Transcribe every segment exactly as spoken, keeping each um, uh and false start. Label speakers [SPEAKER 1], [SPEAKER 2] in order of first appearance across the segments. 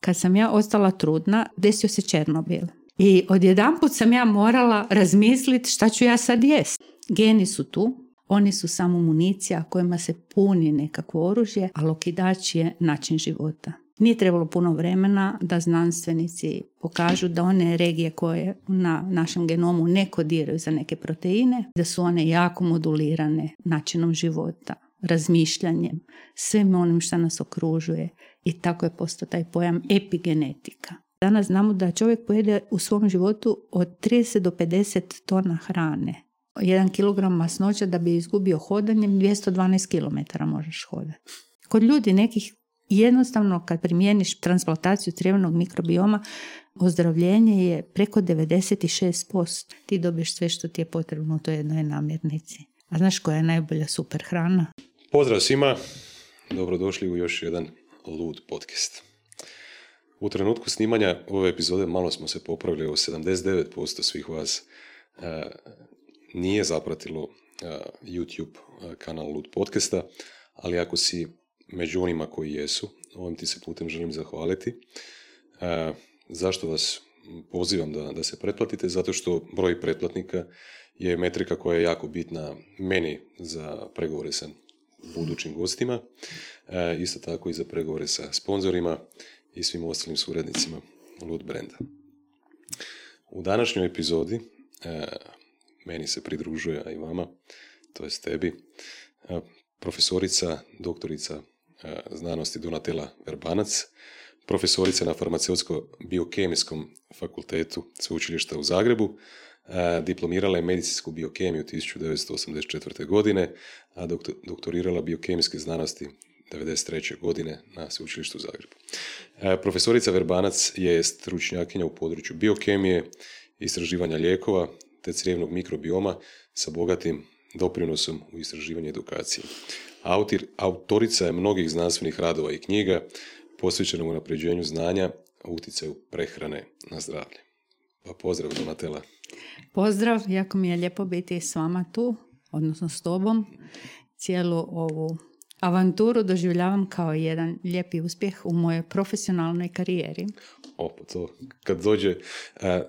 [SPEAKER 1] kad sam ja ostala trudna, desio se Černobil. I odjedanput sam ja morala razmisliti šta ću ja sad jest. Geni su tu, oni su samo municija kojima se puni nekakvo oružje, a okidač je način života. Nije trebalo puno vremena da znanstvenici pokažu da one regije koje na našem genomu ne kodiraju za neke proteine, da su one jako modulirane načinom života, razmišljanjem, svim onim što nas okružuje i tako je postao taj pojam epigenetika. Danas znamo da čovjek pojede u svom životu od trideset do pedeset tona hrane. Jedan kilogram masnoća da bi izgubio hodanjem, dvjesto dvanaest kilometara možeš hodati. Kod ljudi nekih jednostavno kad primijeniš transplantaciju crijevnog mikrobioma, ozdravljenje je preko devedeset šest posto. Ti dobiješ sve što ti je potrebno u toj jednoj namirnici. A znaš koja je najbolja super hrana?
[SPEAKER 2] Pozdrav svima, dobrodošli u još jedan lud podcast. U trenutku snimanja ove epizode malo smo se popravili, o sedamdeset devet posto svih vas uh, nije zapratilo uh, YouTube uh, kanal Lud podcasta, ali ako si među onima koji jesu, ovim ti se putem želim zahvaliti. Uh, zašto vas pozivam da, da se pretplatite? Zato što broj pretplatnika je metrika koja je jako bitna meni za pregovore sa budućim gostima, uh, isto tako i za pregovore sa sponzorima i svim ostalim suradnicima Lud brenda. U današnjoj epizodi e, meni se pridružuje, a i vama, to jest tebi, e, profesorica, doktorica e, znanosti Donatela Verbanac, profesorica na farmaceutsko-biokemijskom fakultetu Sveučilišta u Zagrebu, e, diplomirala je medicinsku biokemiju tisuću devetsto osamdeset četvrte. godine, a doktor, doktorirala biokemijske znanosti devedeset treće. godine na Sveučilištu u Zagrebu. E, profesorica Verbanac je stručnjakinja u području biokemije, istraživanja lijekova te crijevnog mikrobioma sa bogatim doprinosom u istraživanju i edukaciji. Autor, autorica je mnogih znanstvenih radova i knjiga posvećena unapređenju znanja o utjecaju prehrane na zdravlje. Pa pozdrav, Donatela.
[SPEAKER 1] Pozdrav, jako mi je lijepo biti s vama tu, odnosno s tobom. Cijelu ovu avanturu doživljavam kao jedan lijepi uspjeh u mojoj profesionalnoj karijeri.
[SPEAKER 2] O, pa to, kad dođe, a,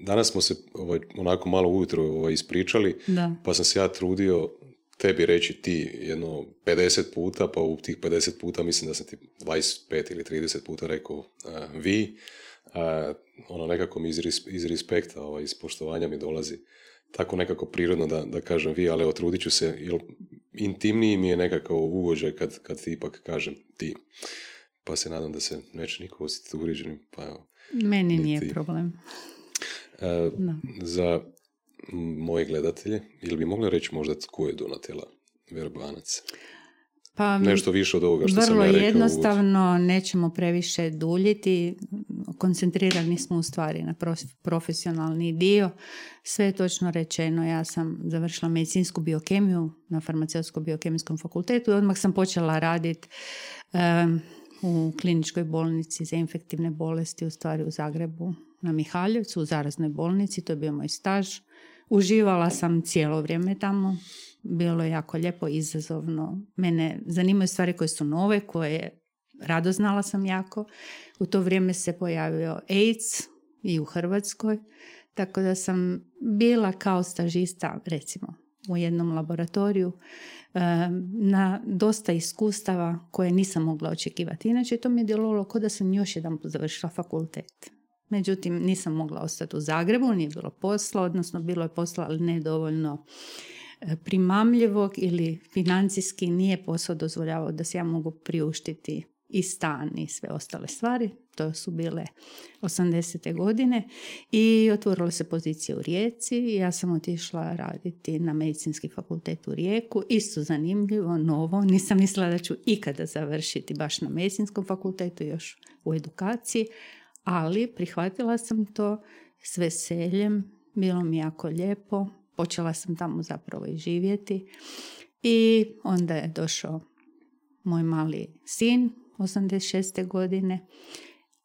[SPEAKER 2] danas smo se ovaj, onako malo ujutro ovaj, ispričali, da. Pa sam se ja trudio tebi reći ti jedno pedeset puta, pa u tih pedeset puta mislim da sam ti dvadeset pet ili trideset puta rekao a, vi, a, ono nekako mi iz, iz respekta, ovaj, iz poštovanja mi dolazi tako nekako prirodno da, da kažem vi, ali otrudit ću se, jer intimniji mi je nekako ugođaj kad, kad ti ipak kažem ti. Pa se nadam da se neće niko osjetiti uvrijeđenim. Pa evo,
[SPEAKER 1] meni nije ti. Problem.
[SPEAKER 2] E, za moje gledatelje, ili bi mogla reći možda tko je Donatela Verbanac?
[SPEAKER 1] Pa,
[SPEAKER 2] nešto više od ovoga što sam ja rekao.
[SPEAKER 1] Vrlo jednostavno, nećemo previše duljiti, koncentrirani smo u stvari na profesionalni dio. Sve je točno rečeno, ja sam završila medicinsku biokemiju na farmaceutsko-biokemijskom fakultetu i odmah sam počela raditi um, u kliničkoj bolnici za infektivne bolesti, u stvari u Zagrebu na Mihaljevcu, u zaraznoj bolnici, to je bio moj staž. Uživala sam cijelo vrijeme tamo. Bilo je jako lijepo, izazovno. Mene zanimaju stvari koje su nove, koje radoznala sam jako. U to vrijeme se pojavio AIDS i u Hrvatskoj, tako da sam bila kao stažista, recimo, u jednom laboratoriju na dosta iskustava koje nisam mogla očekivati. Inače, to mi je djelovalo kao da sam još jedan put završila fakultet. Međutim, nisam mogla ostati u Zagrebu, nije bilo posla, odnosno bilo je posla, ali ne dovoljno primamljivog ili financijski nije posao dozvoljavao da se ja mogu priuštiti i stan i sve ostale stvari. To su bile osamdesete. godine i otvorile se pozicije u Rijeci i ja sam otišla raditi na medicinski fakultet u Rijeku. Isto zanimljivo, novo. Nisam mislila da ću ikada završiti baš na medicinskom fakultetu, još u edukaciji, ali prihvatila sam to s veseljem. Bilo mi jako lijepo. Počela sam tamo zapravo i živjeti i onda je došao moj mali sin osamdeset šeste. godine.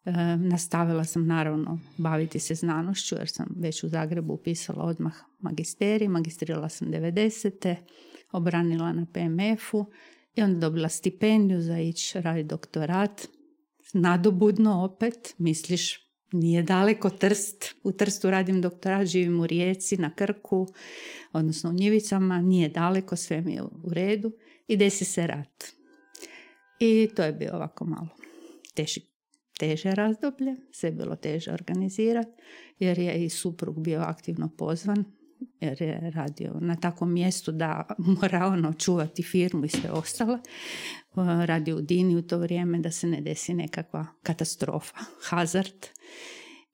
[SPEAKER 1] E, nastavila sam naravno baviti se znanošću jer sam već u Zagrebu upisala odmah magisterij. Magistrirala sam devedesete. obranila na P M F-u i onda dobila stipendiju za ići raditi doktorat. nadobudno opet, misliš, nije daleko Trst. U Trstu radim doktorat, živim u Rijeci, na Krku, odnosno u Njivicama, nije daleko, sve mi je u redu i desi se rat. I to je bio ovako malo teži, teže razdoblje, sve je bilo teže organizirati, jer je i suprug bio aktivno pozvan, jer je radio na takvom mjestu da mora ono čuvati firmu i sve ostalo. Radio u Dini u to vrijeme da se ne desi nekakva katastrofa, hazard.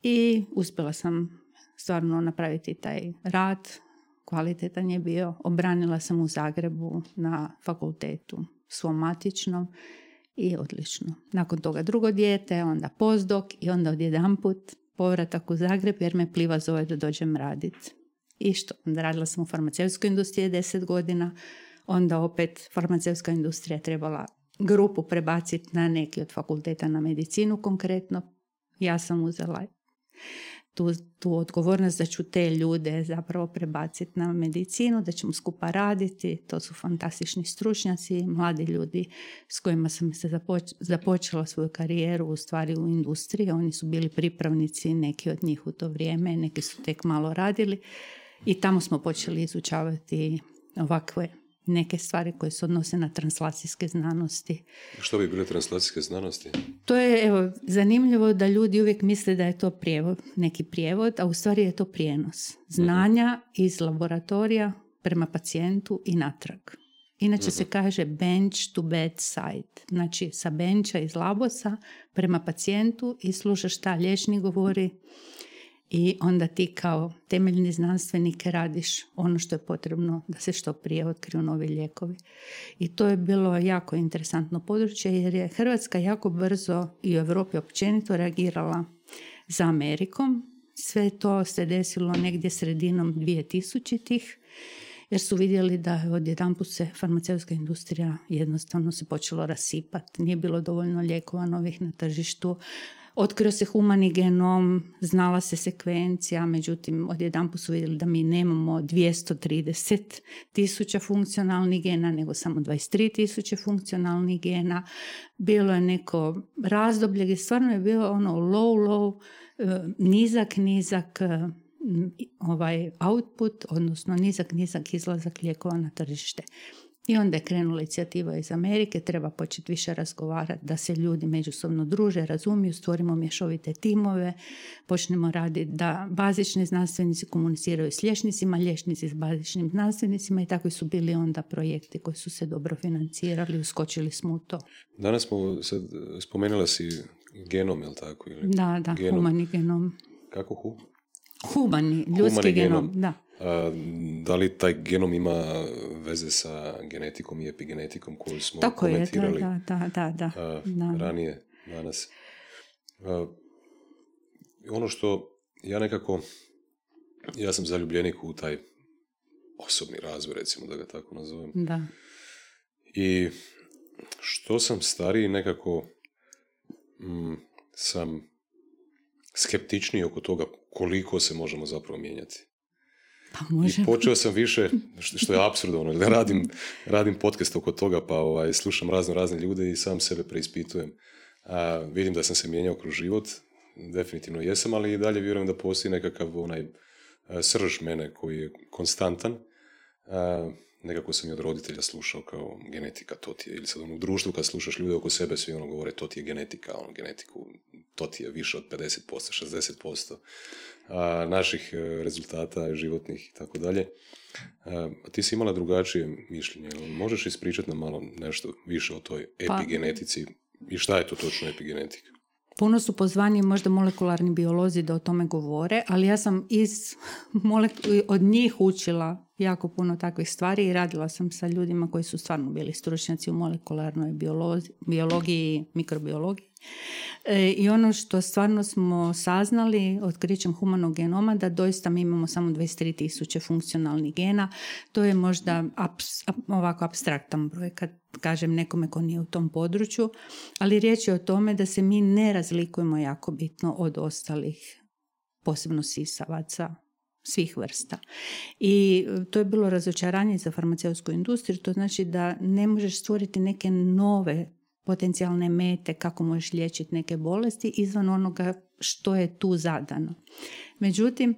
[SPEAKER 1] I uspjela sam stvarno napraviti taj rad, kvalitetan je bio. Obranila sam u Zagrebu na fakultetu svom matičnom i odlično. Nakon toga drugo dijete, onda postdoc i onda odjedanput povratak u Zagreb jer me Pliva zove da dođem raditi. I što? Onda radila sam u farmaceutskoj industriji deset godina, onda opet farmaceutska industrija trebala grupu prebaciti na neki od fakulteta na medicinu konkretno. Ja sam uzela tu, tu odgovornost da ću te ljude zapravo prebaciti na medicinu, da ćemo skupa raditi. To su fantastični stručnjaci, mladi ljudi s kojima sam se započ- započela svoju karijeru u stvari u industriji. Oni su bili pripravnici, neki od njih u to vrijeme, neki su tek malo radili. I tamo smo počeli izučavati ovakve neke stvari koje se odnose na translacijske znanosti.
[SPEAKER 2] Što bi bile translacijske znanosti?
[SPEAKER 1] To je evo, zanimljivo da ljudi uvijek misle da je to prijevod, neki prijevod, a u stvari je to prijenos znanja iz laboratorija prema pacijentu i natrag. Inače uh-huh. se kaže bench to bedside, znači sa benča iz labosa prema pacijentu i slušaš šta liječnik govori i onda ti kao temeljni znanstvenik radiš ono što je potrebno da se što prije otkriju novi lijekovi. I to je bilo jako interesantno područje jer je Hrvatska jako brzo i u Europi općenito reagirala za Amerikom. Sve to se desilo negdje sredinom dvije tisućitih jer su vidjeli da odjedanput se farmaceutska industrija jednostavno se počelo rasipati. Nije bilo dovoljno lijekova novih na tržištu. Otkrio se humani genom, znala se sekvencija, međutim odjedanput su vidjeli da mi nemamo dvjesto trideset tisuća funkcionalnih gena, nego samo dvadeset tri tisuće funkcionalnih gena. Bilo je neko razdoblje gdje stvarno je bilo ono low, low, nizak, nizak ovaj output, odnosno nizak, nizak izlazak lijekova na tržište. I onda je krenula inicijativa iz Amerike, treba početi više razgovarati da se ljudi međusobno druže, razumiju, stvorimo mješovite timove, počnemo raditi da bazični znanstvenici komuniciraju s liječnicima, liječnici s bazičnim znanstvenicima i takvi su bili onda projekti koji su se dobro financirali, uskočili smo u to.
[SPEAKER 2] Danas smo sad, spomenula si genom, je li tako? Ili
[SPEAKER 1] da, da, genom. Humani genom.
[SPEAKER 2] Kako hu?
[SPEAKER 1] Humani, ljudski
[SPEAKER 2] Humani
[SPEAKER 1] genom,
[SPEAKER 2] genom.
[SPEAKER 1] da.
[SPEAKER 2] A, da li taj genom ima veze sa genetikom i epigenetikom koju smo
[SPEAKER 1] tako
[SPEAKER 2] komentirali
[SPEAKER 1] je, da, da, da, da,
[SPEAKER 2] a,
[SPEAKER 1] da.
[SPEAKER 2] ranije danas? A, ono što ja nekako, ja sam zaljubljenik u taj osobni razvoj, recimo da ga tako nazovem.
[SPEAKER 1] Da.
[SPEAKER 2] I što sam stariji nekako mm, sam skeptičniji oko toga koliko se možemo zapravo mijenjati.
[SPEAKER 1] Pa možemo.
[SPEAKER 2] I počeo sam više, što je apsurdno, da radim, radim podcast oko toga, pa ovaj, slušam razno razne ljude i sam sebe preispitujem. A, vidim da sam se mijenjao kroz život, definitivno jesam, ali i dalje vjerujem da postoji nekakav onaj a, srž mene koji je konstantan. A, nekako sam i od roditelja slušao kao genetika, to ti je, ili sad ono, u društvu kad slušaš ljude oko sebe, svi ono govore to ti je genetika, ono, genetiku, to ti je više od pedeset posto, šezdeset posto a, naših rezultata životnih i tako dalje. A ti si imala drugačije mišljenje, možeš ispričati nam malo nešto više o toj epigenetici i šta je to točno epigenetika?
[SPEAKER 1] Puno su pozvani možda molekularni biolozi da o tome govore, ali ja sam iz molek- od njih učila jako puno takvih stvari i radila sam sa ljudima koji su stvarno bili stručnjaci u molekularnoj biolozi, biologiji i mikrobiologiji. E, I ono što stvarno smo saznali otkrićem humanog genoma, da doista mi imamo samo dvadeset tri tisuće funkcionalnih gena. To je možda abs, ovako apstraktan broj kad kažem nekome ko nije u tom području, ali riječ je o tome da se mi ne razlikujemo jako bitno od ostalih, posebno sisavaca svih vrsta. I to je bilo razočaranje za farmaceutsku industriju, to znači da ne možeš stvoriti neke nove potencijalne mete, kako možeš liječiti neke bolesti izvan onoga što je tu zadano. Međutim,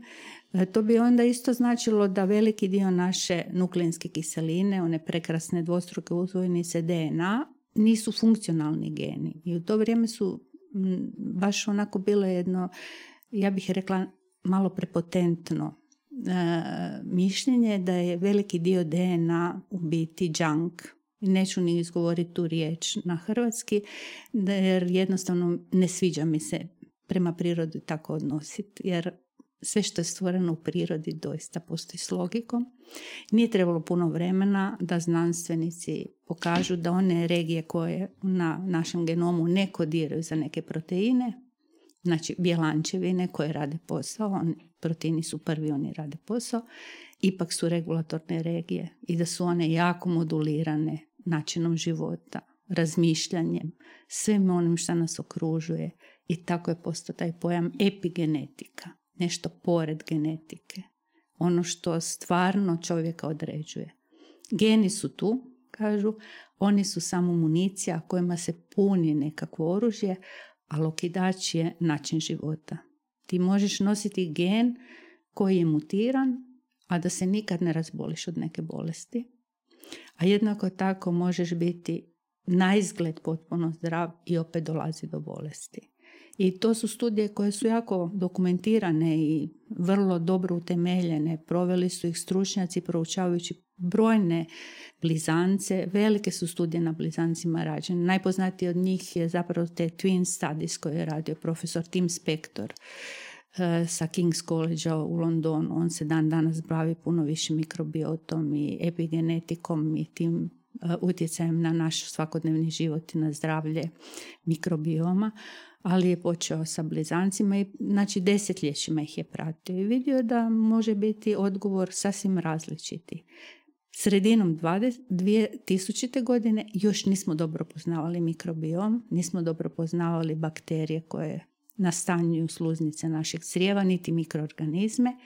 [SPEAKER 1] to bi onda isto značilo da veliki dio naše nukleinske kiseline, one prekrasne dvostruke uzvojnice D N A, nisu funkcionalni geni. I u to vrijeme su m, baš onako bilo jedno, ja bih rekla, malo prepotentno e, mišljenje da je veliki dio D N A u biti junk. Neću ni izgovoriti tu riječ na hrvatski, jer jednostavno ne sviđa mi se prema prirodi tako odnositi, jer sve što je stvoreno u prirodi doista postoji s logikom. Nije trebalo puno vremena da znanstvenici pokažu da one regije koje na našem genomu ne kodiraju za neke proteine, znači bjelančevine koje rade posao, on, proteini su prvi, oni rade posao, ipak su regulatorne regije i da su one jako modulirane načinom života, razmišljanjem, svim onim što nas okružuje i tako je postao taj pojam epigenetika, nešto pored genetike, ono što stvarno čovjeka određuje. Geni su tu, kažu, oni su samo municija kojima se puni nekakvo oružje, a okidač je način života. Ti možeš nositi gen koji je mutiran, a da se nikad ne razboliš od neke bolesti. A jednako tako možeš biti na izgled potpuno zdrav i opet dolazi do bolesti. I to su studije koje su jako dokumentirane i vrlo dobro utemeljene. Proveli su ih stručnjaci proučavajući brojne blizance. Velike su studije na blizancima rađene. Najpoznatiji od njih je zapravo te Twin Studies koje je radio profesor Tim Spector sa King's College u Londonu. On se dan danas bavi puno više mikrobiotom i epigenetikom i tim uh, utjecajem na naš svakodnevni život i na zdravlje mikrobioma, ali je počeo sa blizancima i znači desetljećima ih je pratio i vidio da može biti odgovor sasvim različiti. Sredinom dvije tisućite. godine još nismo dobro poznavali mikrobiom, nismo dobro poznavali bakterije koje nastanjuju sluznice našeg crijeva, niti mikroorganizme,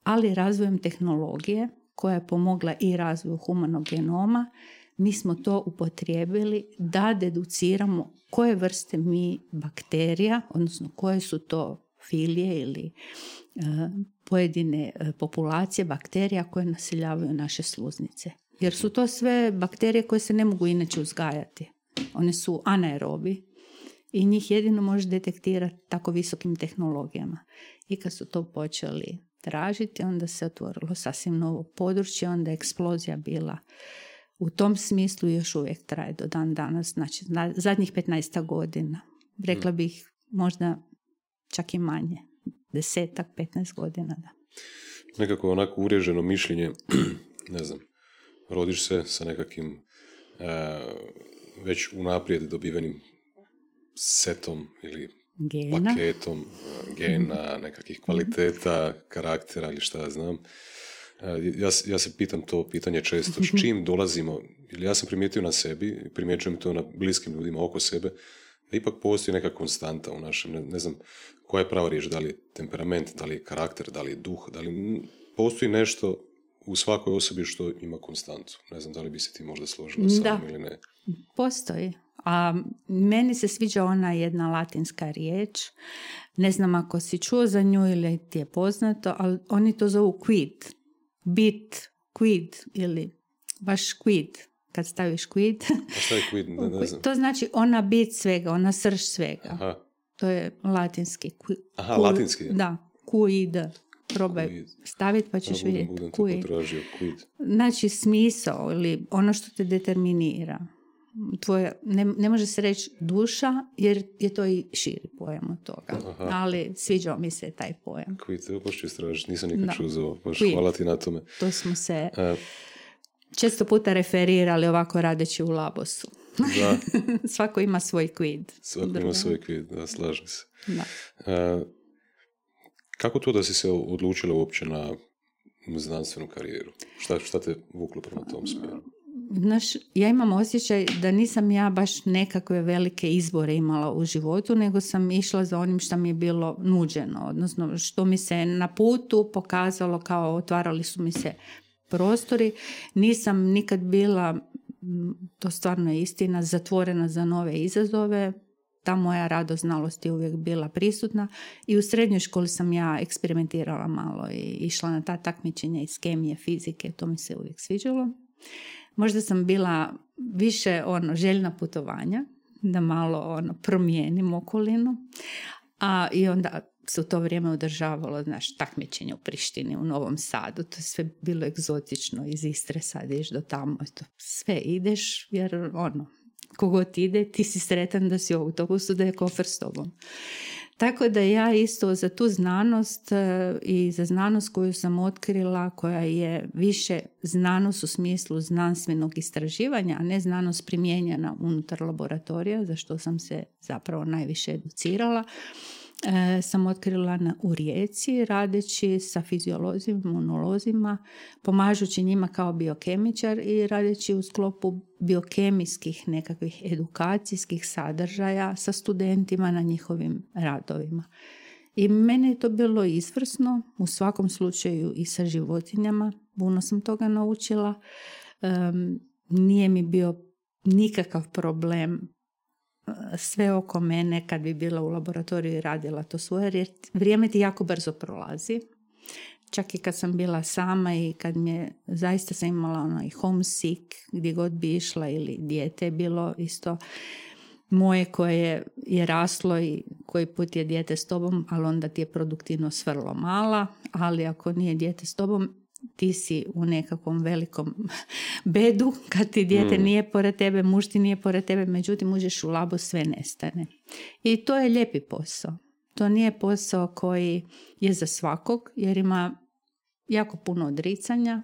[SPEAKER 1] ali razvojem tehnologije koja je pomogla i razvoju humanog genoma, mi smo to upotrijebili da deduciramo koje vrste mi bakterija, odnosno koje su to filije ili uh, pojedine uh, populacije bakterija koje naseljavaju naše sluznice. Jer su to sve bakterije koje se ne mogu inače uzgajati. One su anaerobi i njih jedino može detektirati tako visokim tehnologijama. I kad su to počeli tražiti, onda se otvorilo sasvim novo područje, onda je eksplozija bila u tom smislu još uvijek traje do dan danas, znači zadnjih petnaest godina. Rekla bih možda čak i manje, desetak, petnaest godina. Da.
[SPEAKER 2] Nekako onako uvriježeno mišljenje, ne znam, rodiš se sa nekakvim e, već unaprijed dobivenim setom ili gena. paketom gena, nekakvih kvaliteta, karaktera ili šta ja znam. Ja, ja se pitam to pitanje često, s čim dolazimo, ili ja sam primijetio na sebi, primjećujem to na bliskim ljudima oko sebe, da ipak postoji neka konstanta u našem, ne, ne znam koja je prava riječ, da li je temperament, da li je karakter, da li je duh, da li postoji nešto u svakoj osobi što ima konstantu. Ne znam da li bi se ti možda složila sa mnom ili ne.
[SPEAKER 1] Postoji. A meni se sviđa ona jedna latinska riječ, ne znam ako si čuo za nju ili ti je poznato, ali oni to zovu quid. Bit, quid ili baš quid, kad staviš quid.
[SPEAKER 2] A šta je quid? Ne, ne znam.
[SPEAKER 1] To znači ona bit svega, ona srž svega.
[SPEAKER 2] Aha.
[SPEAKER 1] To je latinski. Quid.
[SPEAKER 2] Aha, latinski.
[SPEAKER 1] Da, quid. Probaj quid. Staviti pa ćeš
[SPEAKER 2] da, budem,
[SPEAKER 1] vidjeti.
[SPEAKER 2] Budem quid. Potražio, quid.
[SPEAKER 1] Znači smisao ili ono što te determinira. Tvoja, ne, ne može se reći duša, jer je to i širi pojam od toga. Aha. Ali sviđao mi se taj pojam.
[SPEAKER 2] Quid, evo baš ću istražiti, nisam nikad čuo za ovo. Baš hvala ti na tome.
[SPEAKER 1] To smo se A. često puta referirali ovako radeći u Labosu.
[SPEAKER 2] Da.
[SPEAKER 1] Svako ima svoj quid.
[SPEAKER 2] Svako Drugo. ima svoj quid, da, slažem se.
[SPEAKER 1] Da.
[SPEAKER 2] A, kako to da si se odlučila uopće na znanstvenu karijeru? Šta, šta te vuklo prema tom smjeru?
[SPEAKER 1] Znaš, ja imam osjećaj da nisam ja baš nekakve velike izbore imala u životu, nego sam išla za onim što mi je bilo nuđeno, odnosno što mi se na putu pokazalo kao otvarali su mi se prostori. Nisam nikad bila to stvarno je istina, zatvorena za nove izazove. Ta moja radost znalosti je uvijek bila prisutna i u srednjoj školi sam ja eksperimentirala malo i išla na ta takmičenja iz kemije, fizike, to mi se uvijek sviđalo. Možda sam bila više ono, željna putovanja, da malo ono, promijenim okolinu, a i onda se u to vrijeme održavalo, znaš, takmičenje u Prištini, u Novom Sadu, to je sve bilo egzotično, iz Istre sad ideš do tamo, to sve ideš, jer ono, kogod ide, ti si sretan da si u autobusu, da je kofer s tobom. Tako da ja isto za tu znanost i za znanost koju sam otkrila, koja je više znanost u smislu znanstvenog istraživanja, a ne znanost primijenjena unutar laboratorija, za što sam se zapravo najviše educirala, E, sam otkrila na, u Rijeci, radeći sa fiziolozima, imunolozima, pomažući njima kao biokemičar i radeći u sklopu biokemijskih nekakvih edukacijskih sadržaja sa studentima na njihovim radovima. I mene je to bilo izvrsno, u svakom slučaju i sa životinjama, puno sam toga naučila. E, nije mi bio nikakav problem sve oko mene kad bi bila u laboratoriju i radila to svoje, jer vrijeme ti jako brzo prolazi. Čak i kad sam bila sama i kad mi zaista sam imala onaj homesick gdje god bi išla ili dijete je bilo isto moje koje je raslo i koji put je dijete s tobom, ali onda ti je produktivnost vrlo mala, ali ako nije dijete s tobom, ti si u nekakvom velikom bedu kad ti dijete mm. nije pored tebe, muž ti nije pored tebe, međutim uđeš u labo, sve nestane. I to je lijepi posao. To nije posao koji je za svakog, jer ima jako puno odricanja.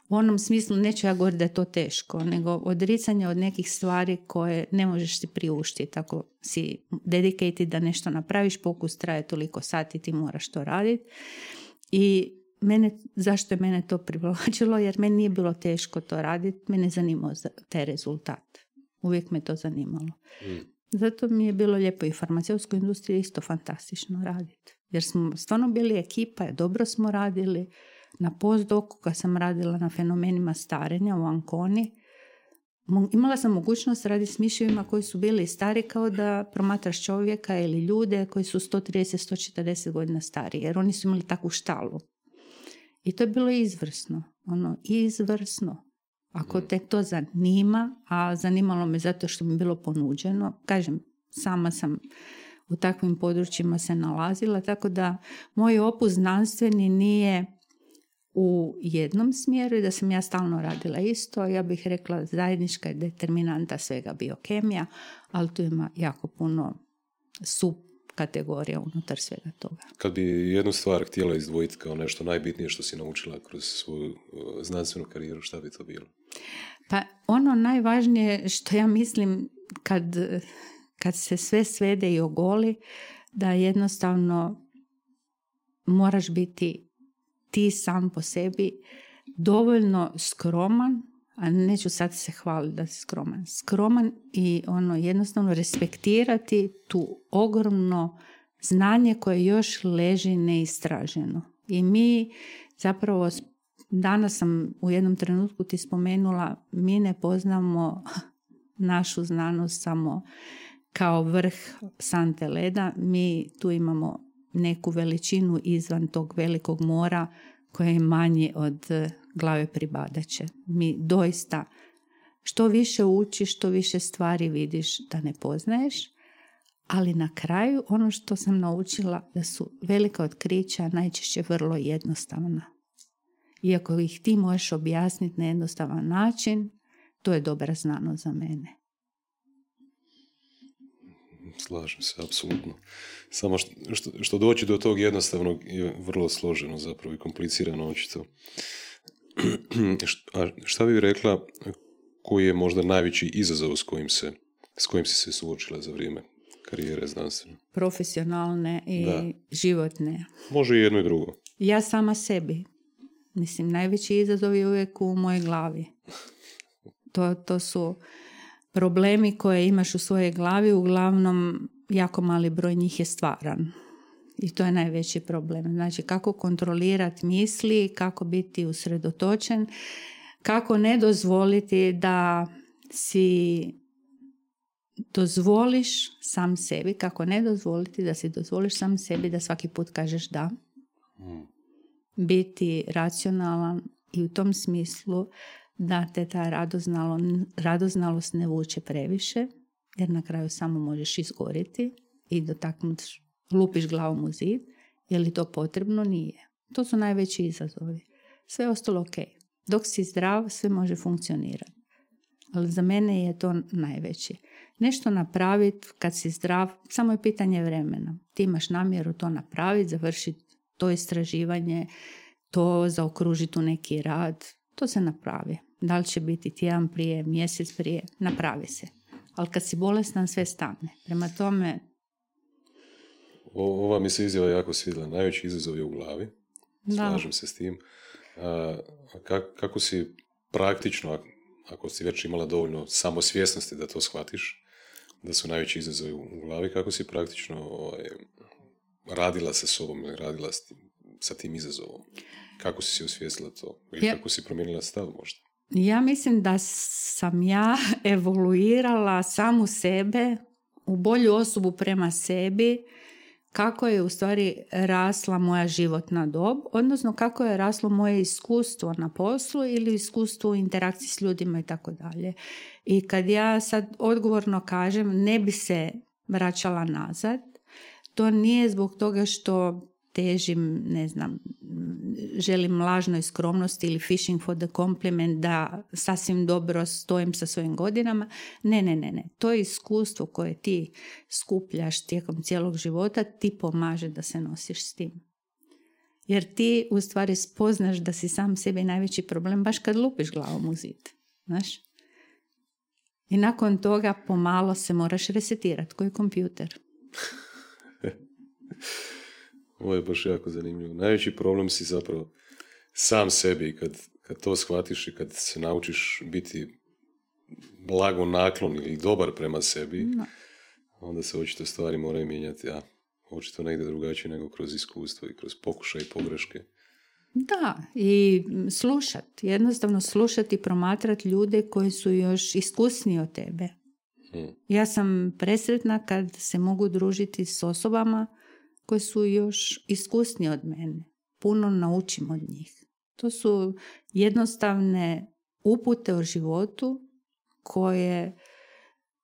[SPEAKER 1] U onom smislu neću ja govoriti da je to teško, nego odricanje od nekih stvari koje ne možeš si priuštiti. Ako si dedicated da nešto napraviš, pokus traje toliko sati, ti moraš to raditi. I Mene, zašto je mene to privlačilo? Jer meni nije bilo teško to raditi, mene zanimao taj rezultat. Uvijek me to zanimalo. Mm. Zato mi je bilo lijepo i farmaceutskoj industriji isto fantastično raditi. Jer smo stvarno bili ekipa, dobro smo radili. Na postdoku kad sam radila na fenomenima starenja u Anconi, imala sam mogućnost raditi s miševima koji su bili stari kao da promatraš čovjeka ili ljude koji su sto trideset do sto četrdeset godina stariji, jer oni su imali takvu štalu. I to je bilo izvrsno, ono, izvrsno. Ako te to zanima, a zanimalo me zato što mi je bilo ponuđeno, kažem, sama sam u takvim područjima se nalazila, tako da moj opus znanstveni nije u jednom smjeru i da sam ja stalno radila isto, ja bih rekla zajednička je determinanta svega biokemija, ali tu ima jako puno sub kategorija unutar svega toga.
[SPEAKER 2] Kad bi jednu stvar htjela izdvojiti kao nešto najbitnije što si naučila kroz svoju znanstvenu karijeru, šta bi to bilo?
[SPEAKER 1] Pa ono najvažnije što ja mislim kad, kad se sve svede i ogoli, da jednostavno moraš biti ti sam po sebi dovoljno skroman, a neću sad se hvaliti da si skroman, skroman i ono jednostavno respektirati tu ogromno znanje koje još leži neistraženo. I mi zapravo, danas sam u jednom trenutku ti spomenula, mi ne poznamo našu znanost samo kao vrh sante leda, mi tu imamo neku veličinu izvan tog velikog mora koje je manje od glave pribadače. Mi doista što više učiš, što više stvari vidiš da ne poznaješ, ali na kraju ono što sam naučila da su velika otkrića najčešće vrlo jednostavna. Iako ih ti možeš objasniti na jednostavan način, to je dobra znanost za mene.
[SPEAKER 2] Slažem se, apsolutno. Samo što, što, što doći do tog jednostavnog je vrlo složeno zapravo i komplicirano očito. A šta bi rekla, koji je možda najveći izazov s kojim se, s kojim si se suočila za vrijeme karijere znanstvene?
[SPEAKER 1] Profesionalne i da. Životne.
[SPEAKER 2] Može i jedno i drugo.
[SPEAKER 1] Ja sama sebi. Mislim, najveći izazov je uvijek u mojoj glavi. To, to su problemi koje imaš u svojoj glavi, uglavnom jako mali broj njih je stvaran. I to je najveći problem. Znači, kako kontrolirati misli, kako biti usredotočen, kako ne dozvoliti da si dozvoliš sam sebi, kako ne dozvoliti, da si dozvoliš sam sebi da svaki put kažeš da. Mm. Biti racionalan i u tom smislu da te ta radoznalo, radoznalost ne vuče previše, jer na kraju samo možeš izgoriti i dotaknuti, lupiš glavom u zid. Je li to potrebno? Nije. To su najveći izazovi. Sve ostalo ok. Dok si zdrav, sve može funkcionirati. Ali za mene je to najveći. Nešto napraviti kad si zdrav, samo je pitanje vremena. Ti imaš namjeru to napraviti, završiti to istraživanje, to zaokružiti u neki rad. To se napravi. Da li će biti tjedan prije, mjesec prije, napravi se. Ali kad si bolestan, sve stane. Prema tome...
[SPEAKER 2] O, ova mi se izjava jako svidjela. Najveći izazov je u glavi. Da. Slažem se s tim. A, kako, kako si praktično, ako si već imala dovoljno samosvjesnosti da to shvatiš, da su najveći izazovi u glavi, kako si praktično ovaj, radila sa sobom, radila s tim, sa tim izazovom? Kako si si osvijestila to? Ili ja, kako si promijenila stav možda?
[SPEAKER 1] Ja mislim da sam ja evoluirala samu sebe u bolju osobu prema sebi, kako je u stvari rasla moja životna dob, odnosno kako je raslo moje iskustvo na poslu ili iskustvo u interakciji s ljudima i tako dalje. I kad ja sad odgovorno kažem ne bi se vraćala nazad, to nije zbog toga što težim, ne znam, želim lažnoj skromnosti ili fishing for the compliment, da sasvim dobro stojim sa svojim godinama. Ne, ne, ne, ne. To je iskustvo koje ti skupljaš tijekom cijelog života, ti pomaže da se nosiš s tim. Jer ti u stvari spoznaš da si sam sebi najveći problem baš kad lupiš glavom u zid. Znaš? I nakon toga pomalo se moraš resetirati, koji kompjuter.
[SPEAKER 2] Ovo je baš jako zanimljivo. Najveći problem si zapravo sam sebi. Kad, kad to shvatiš i kad se naučiš biti blago naklon ili dobar prema sebi, no. onda se očito stvari moraju mijenjati. A očito negdje drugačije nego kroz iskustvo i kroz pokušaj i pogreške.
[SPEAKER 1] Da, i slušati. Jednostavno slušati i promatrati ljude koji su još iskusniji od tebe. Hmm. Ja sam presretna kad se mogu družiti s osobama koji su još iskusniji od mene. Puno naučim od njih. To su jednostavne upute o životu koje,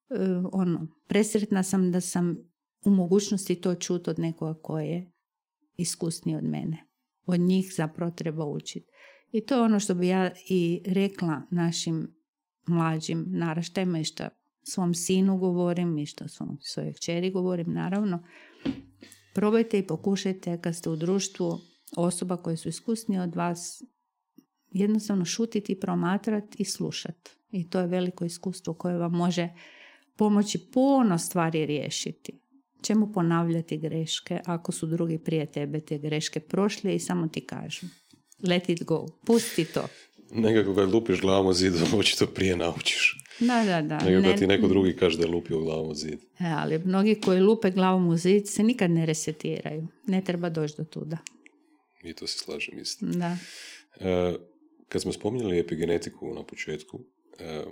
[SPEAKER 1] uh, ono, presretna sam da sam u mogućnosti to čuti od nekoga koji je iskusniji od mene. Od njih zapravo treba učiti. I to je ono što bi ja i rekla našim mlađim naraštajima i što svom sinu govorim i što svom svojoj kćeri govorim, naravno. Probajte i pokušajte kad ste u društvu osoba koje su iskusnije od vas, jednostavno šutiti, promatrati i slušati. I to je veliko iskustvo koje vam može pomoći puno stvari riješiti. Čemu ponavljati greške ako su drugi prije tebe te greške prošli i samo ti kažu let it go, pusti to.
[SPEAKER 2] Nekako kad lupiš glavom o zid, očito prije naučiš.
[SPEAKER 1] Da, da, da.
[SPEAKER 2] Nekako ne, ti neko drugi kaže da je lupio glavom o zid.
[SPEAKER 1] E, ali mnogi koji lupe glavom u zid se nikad ne resetiraju. Ne treba doći do tuda.
[SPEAKER 2] I to se slažem isto.
[SPEAKER 1] Da.
[SPEAKER 2] E, kad smo spominjali epigenetiku na početku, e,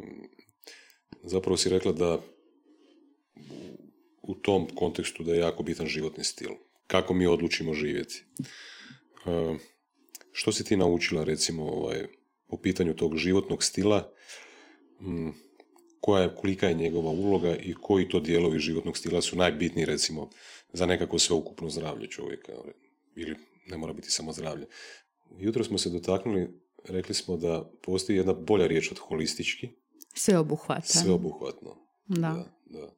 [SPEAKER 2] zapravo si rekla da u tom kontekstu da je jako bitan životni stil. Kako mi odlučimo živjeti. E, što si ti naučila, recimo, ovaj, po pitanju tog životnog stila, m, koja je, kolika je njegova uloga i koji to dijelovi životnog stila su najbitniji, recimo, za nekako sveukupno zdravlje čovjeka. Ili ne mora biti samo zdravlje. Jutro smo se dotaknuli, rekli smo da postoji jedna bolja riječ od holistički.
[SPEAKER 1] Sveobuhvatno.
[SPEAKER 2] Sveobuhvatno.
[SPEAKER 1] Da.
[SPEAKER 2] Da, da.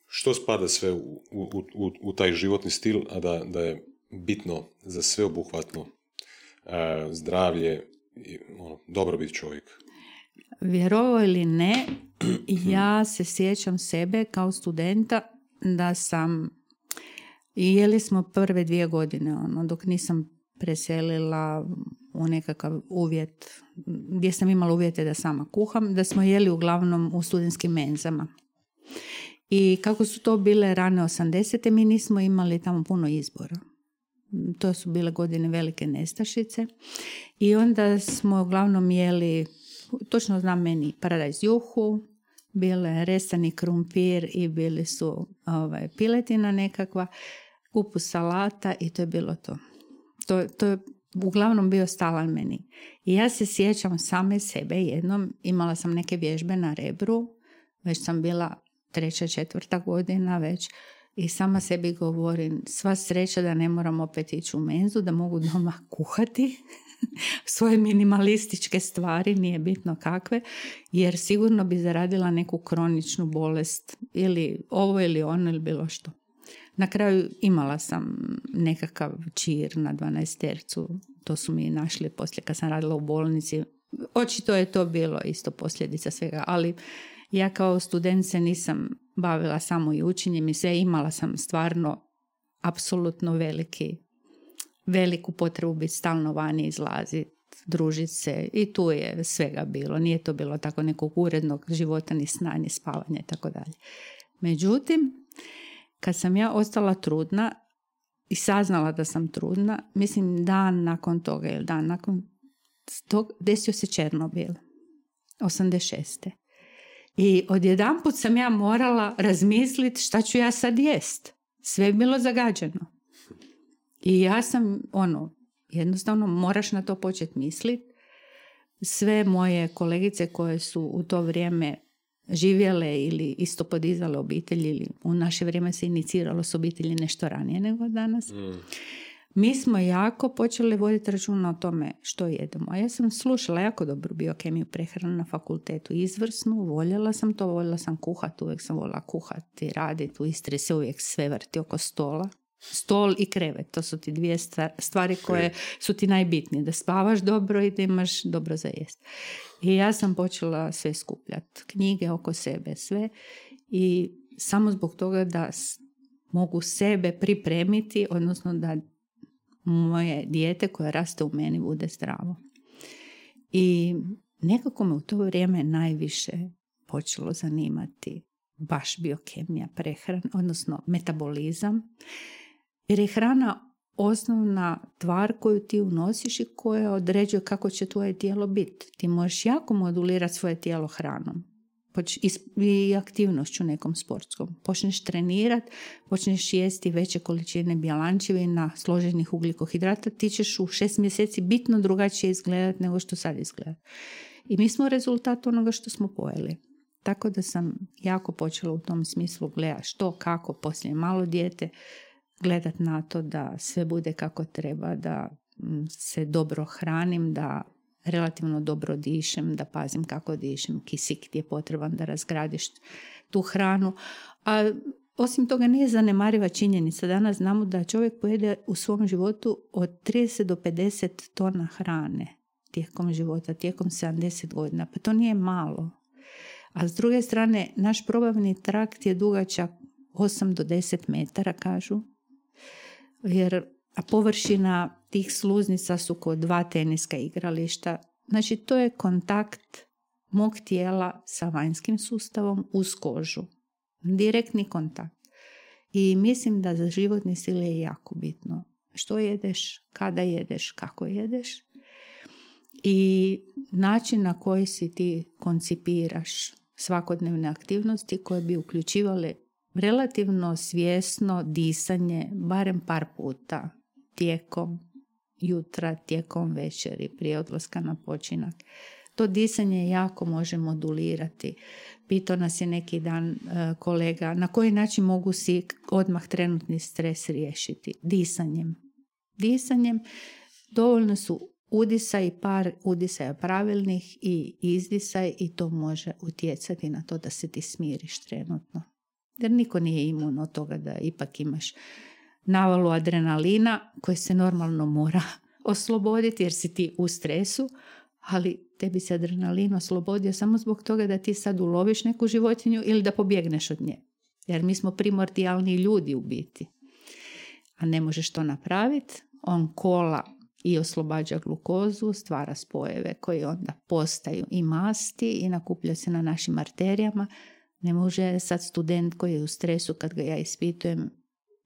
[SPEAKER 2] Što spada sve u, u, u, u taj životni stil, a da, da je bitno za sveobuhvatno a, zdravlje i ono, dobrobit čovjeka?
[SPEAKER 1] Vjerovao ili ne, ja se sjećam sebe kao studenta da sam, i jeli smo prve dvije godine, ono, dok nisam preselila u nekakav uvjet, gdje sam imala uvjete da sama kuham, da smo jeli uglavnom u studentskim menzama. I kako su to bile rane osamdesete, mi nismo imali tamo puno izbora. To su bile godine velike nestašice. I onda smo uglavnom jeli točno znam meni paradajz juhu, bile resani krumpir i bili su ovaj, piletina nekakva, kupus salata i to je bilo to. To, to je uglavnom bio stalan meni. I ja se sjećam same sebe jednom, imala sam neke vježbe na Rebru, već sam bila treća, četvrta godina već i sama sebi govorim, sva sreća da ne moram opet ići u menzu, da mogu doma kuhati svoje minimalističke stvari, nije bitno kakve, jer sigurno bi zaradila neku kroničnu bolest ili ovo ili ono ili bilo što. Na kraju imala sam nekakav čir na dvanaestercu, to su mi našli poslije kad sam radila u bolnici. Očito je to bilo isto posljedica svega, ali ja kao student se nisam bavila samo i učenjem i sve, imala sam stvarno apsolutno veliki, veliku potrebu biti stalno vani, izlaziti, družiti se i tu je svega bilo. Nije to bilo tako nekog urednog života, ni sna, ni spavanja i tako dalje. Međutim, kad sam ja ostala trudna i saznala da sam trudna, mislim dan nakon toga ili dan nakon tog desio se Černobil, osamdeset šeste. I odjedanput sam ja morala razmisliti šta ću ja sad jest. Sve je bilo zagađeno. I ja sam, ono, jednostavno moraš na to početi misliti. Sve moje kolegice koje su u to vrijeme živjele ili isto podizale obitelji ili u naše vrijeme se iniciralo s obitelji nešto ranije nego danas. Mm. Mi smo jako počeli voditi računa o tome što jedemo. A ja sam slušala jako dobru biokemiju prehranu na fakultetu, izvrsnu, voljela sam to, voljela sam kuhati, uvijek sam voljela kuhati, raditi, u Istri se uvijek sve vrti oko stola. Stol i krevet, to su ti dvije stvari koje su ti najbitnije, da spavaš dobro i da imaš dobro za jest. I ja sam počela sve skupljati, knjige oko sebe, sve, i samo zbog toga da mogu sebe pripremiti, odnosno da moje dijete koje raste u meni bude zdravo. I nekako me u to vrijeme najviše počelo zanimati baš biokemija prehrane, odnosno metabolizam, jer je hrana osnovna tvar koju ti unosiš i koja određuje kako će tvoje tijelo biti. Ti možeš jako modulirati svoje tijelo hranom i aktivnošću nekom sportskom. Počneš trenirati, počneš jesti veće količine bjelančevina, složenih ugljikohidrata, ti ćeš u šest mjeseci bitno drugačije izgledati nego što sad izgleda. I mi smo rezultat onoga što smo pojeli. Tako da sam jako počela u tom smislu gledati što, kako, poslije malo dijete, gledat na to da sve bude kako treba, da se dobro hranim, da relativno dobro dišem, da pazim kako dišem, kisik ti je potreban da razgradiš tu hranu. A osim toga nije zanemariva činjenica. Danas znamo da čovjek pojede u svom životu od trideset do pedeset tona hrane tijekom života, tijekom sedamdeset godina. Pa to nije malo. A s druge strane, naš probavni trakt je dugačak osam do deset metara, kažu. Jer a površina tih sluznica su kod dva teniska igrališta. Znači, to je kontakt mog tijela sa vanjskim sustavom uz kožu. Direktni kontakt. I mislim da za životni stil je jako bitno. Što jedeš, kada jedeš, kako jedeš. I način na koji si ti koncipiraš svakodnevne aktivnosti koje bi uključivale relativno svjesno disanje barem par puta tijekom jutra, tijekom večeri, prije odlaska na počinak. To disanje jako može modulirati. Pitao nas je neki dan uh, kolega na koji način mogu si odmah trenutni stres riješiti. Disanjem. Disanjem dovoljno su udisaj, par udisaja pravilnih i izdisaj i to može utjecati na to da se ti smiriš trenutno. Jer niko nije imun od toga da ipak imaš navalu adrenalina koji se normalno mora osloboditi jer si ti u stresu, ali tebi se adrenalin oslobodio samo zbog toga da ti sad uloviš neku životinju ili da pobjegneš od nje. Jer mi smo primordijalni ljudi u biti. A ne možeš to napraviti. On kola i oslobađa glukozu, stvara spojeve koji onda postaju i masti i nakuplja se na našim arterijama. Ne može sad student koji je u stresu kad ga ja ispitujem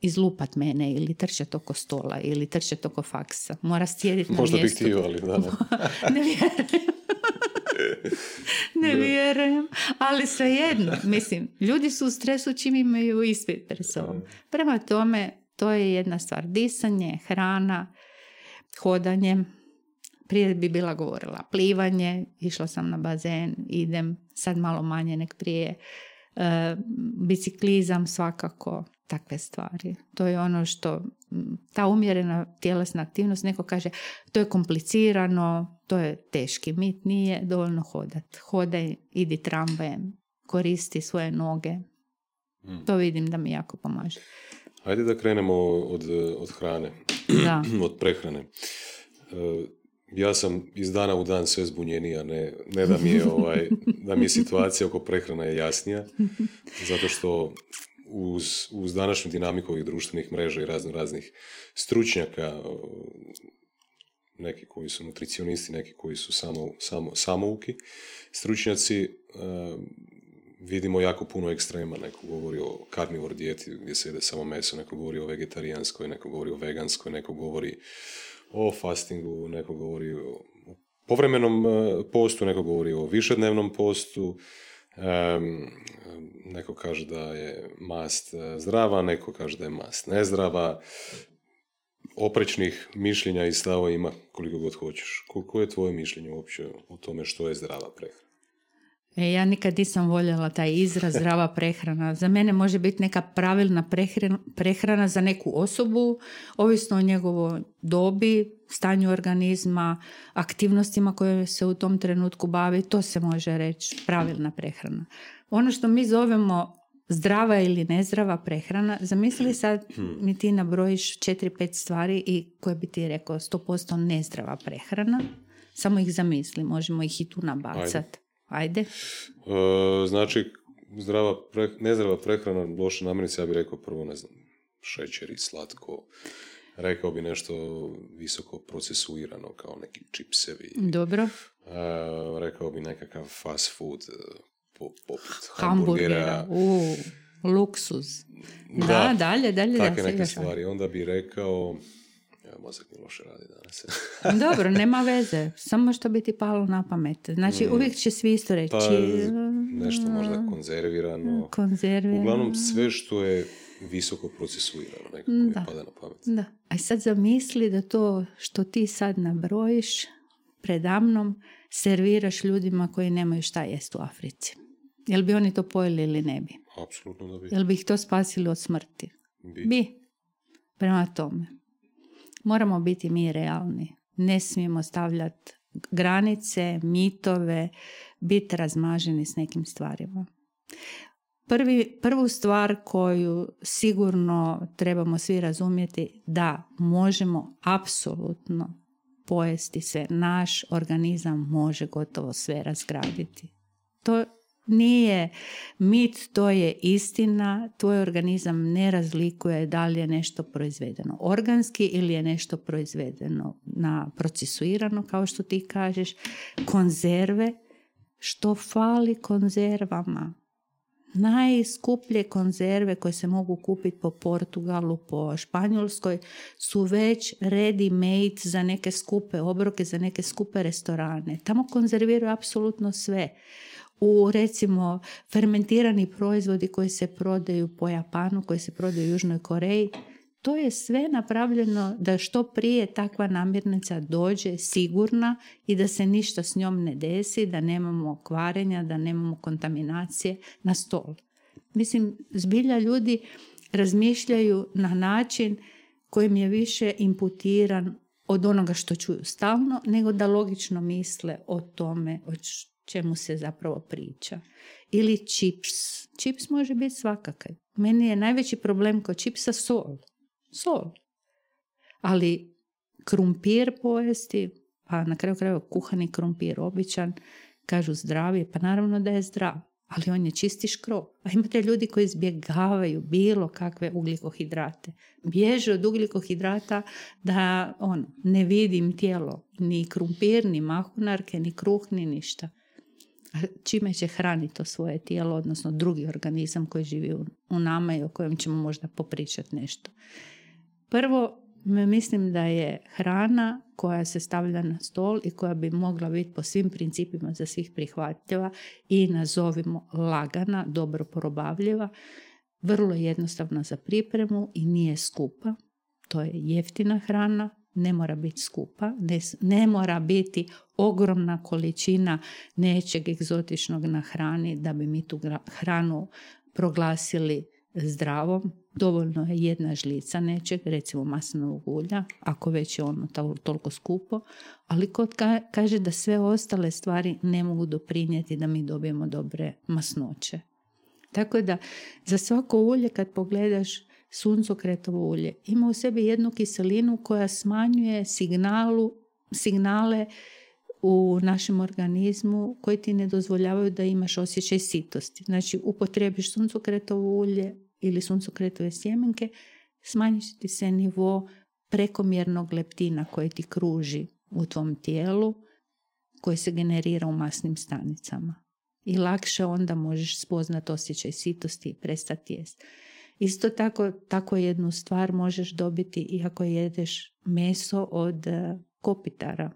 [SPEAKER 1] izlupat mene ili trčat oko stola ili trčat oko faksa. Mora sjediti na
[SPEAKER 2] Možda
[SPEAKER 1] mjestu.
[SPEAKER 2] Možda bih htio, ali da, da.
[SPEAKER 1] Ne vjerujem. Ne vjerujem, ali svejedno. Mislim, ljudi su u stresu čim imaju ispit pred sobom. Prema tome, to je jedna stvar. Disanje, hrana, hodanje. Prije bi bila govorila plivanje, išla sam na bazen, idem, sad malo manje nek prije. E, biciklizam svakako, takve stvari. To je ono što, ta umjerena tjelesna aktivnost, neko kaže, to je komplicirano, to je teški mit, nije dovoljno hodat. Hodaj, idi tramvajem, koristi svoje noge. Hmm. To vidim da mi jako pomaže.
[SPEAKER 2] Hajde da krenemo od, od hrane,
[SPEAKER 1] da.
[SPEAKER 2] od prehrane. E, ja sam iz dana u dan sve zbunjenija, ne, ne da mi je ovaj, da mi je situacija oko prehrana je jasnija, zato što uz, uz današnju dinamiku ovih društvenih mreža i razno raznih stručnjaka, neki koji su nutricionisti, neki koji su samo, samo, samouki stručnjaci, vidimo jako puno ekstrema. Neko govori o karnivor dijeti gdje se jede samo meso, neko govori o vegetarijanskoj, neko govori o veganskoj, neko govori o fastingu, neko govori o povremenom postu, neko govori o višednevnom postu, um, neko kaže da je mast zdrava, neko kaže da je mast nezdrava. Oprečnih mišljenja i stava ima koliko god hoćeš. Koje je tvoje mišljenje uopće o tome što je zdrava prehrana?
[SPEAKER 1] E, ja nikad nisam voljela taj izraz zdrava prehrana. Za mene može biti neka pravilna prehrana, prehrana za neku osobu, ovisno o njegovoj dobi, stanju organizma, aktivnostima koje se u tom trenutku bavi. To se može reći pravilna prehrana. Ono što mi zovemo zdrava ili nezdrava prehrana, zamisli sad mi ti nabrojiš četiri pet stvari i koje bi ti rekao sto posto nezdrava prehrana. Samo ih zamisli, možemo ih i tu nabacati. Ajde.
[SPEAKER 2] E, znači, zdrava pre, nezdrava prehrana, loše namirnice, ja bih rekao prvo, ne znam, šećer i slatko. Rekao bi nešto visoko procesuirano, kao neki čipsevi.
[SPEAKER 1] Dobro.
[SPEAKER 2] E, rekao bi nekakav fast food, poput hamburgera.
[SPEAKER 1] U, luksuz. Da,
[SPEAKER 2] da,
[SPEAKER 1] dalje, dalje.
[SPEAKER 2] Takve
[SPEAKER 1] da,
[SPEAKER 2] neke stvari. Onda bi rekao, ja, mozak mi loše radi danas.
[SPEAKER 1] Dobro, nema veze. Samo što bi ti palo na pamet. Znači, mm. uvijek će svi isto reći.
[SPEAKER 2] Pa, nešto možda konzervirano.
[SPEAKER 1] Konzervirano.
[SPEAKER 2] Uglavnom, sve što je visoko procesuirano. Nekako mi pada na pamet.
[SPEAKER 1] Da. A sad zamisli da to što ti sad nabrojiš predamnom serviraš ljudima koji nemaju šta jest u Africi. Jel bi oni to pojeli ili ne bi?
[SPEAKER 2] Apsolutno da bi.
[SPEAKER 1] Jel bi ih to spasili od smrti?
[SPEAKER 2] Bi.
[SPEAKER 1] Bi. Prema tome. Moramo biti mi realni. Ne smijemo stavljati granice, mitove, biti razmaženi s nekim stvarima. Prvi, prvu stvar koju sigurno trebamo svi razumjeti, da možemo apsolutno pojesti sve. Naš organizam može gotovo sve razgraditi. To nije mit, to je istina. Tvoj organizam ne razlikuje da li je nešto proizvedeno organski ili je nešto proizvedeno na procesuirano, kao što ti kažeš. Konzerve, što fali konzervama? Najskuplje konzerve koje se mogu kupiti po Portugalu, po Španjolskoj su već ready made za neke skupe obroke, za neke skupe restorane. Tamo konzerviraju apsolutno sve. U, recimo, fermentirani proizvodi koji se prodaju po Japanu, koji se prodaju u Južnoj Koreji, to je sve napravljeno da što prije takva namirnica dođe sigurna i da se ništa s njom ne desi, da nemamo kvarenja, da nemamo kontaminacije na stol. Mislim, zbilja ljudi razmišljaju na način kojim je više imputiran od onoga što čuju stalno, nego da logično misle o tome o čemu se zapravo priča. Ili čips. Čips može biti svakakav. Meni je najveći problem kod čipsa sol. Sol. Ali krumpir pojesti, pa na kraju krajeva kuhani krumpir običan, kažu zdravi, pa naravno da je zdrav, ali on je čisti škrob. A imate ljudi koji izbjegavaju bilo kakve ugljikohidrate. Bježe od ugljikohidrata da on, ne vidim tijelo, ni krumpir, ni mahunarke, ni kruh, ni ništa. A čime će hraniti to svoje tijelo, odnosno drugi organizam koji živi u, u nama i o kojem ćemo možda popričati nešto. Prvo, Mislim da je hrana koja se stavlja na stol i koja bi mogla biti po svim principima za svih prihvatljiva i nazovimo lagana, dobro probavljiva, vrlo jednostavna za pripremu i nije skupa. To je jeftina hrana, ne mora biti skupa, ne, ne mora biti ogromna količina nečeg egzotičnog na hrani da bi mi tu hranu proglasili zdravom. Dovoljno je jedna žlica nečeg, recimo maslinovog ulja, ako već je ono toliko skupo, ali kod kaže da sve ostale stvari ne mogu doprinijeti da mi dobijemo dobre masnoće. Tako da za svako ulje kad pogledaš suncokretovo ulje ima u sebi jednu kiselinu koja smanjuje signalu, signale u našem organizmu koji ti ne dozvoljavaju da imaš osjećaj sitosti. Znači upotrebiš suncokretovo ulje ili suncokretove sjemenke, smanjit će ti se nivo prekomjernog leptina koji ti kruži u tvom tijelu, koji se generira u masnim stanicama. I lakše onda možeš spoznati osjećaj sitosti i prestati jesti. Isto tako, tako jednu stvar možeš dobiti i ako jedeš meso od kopitara.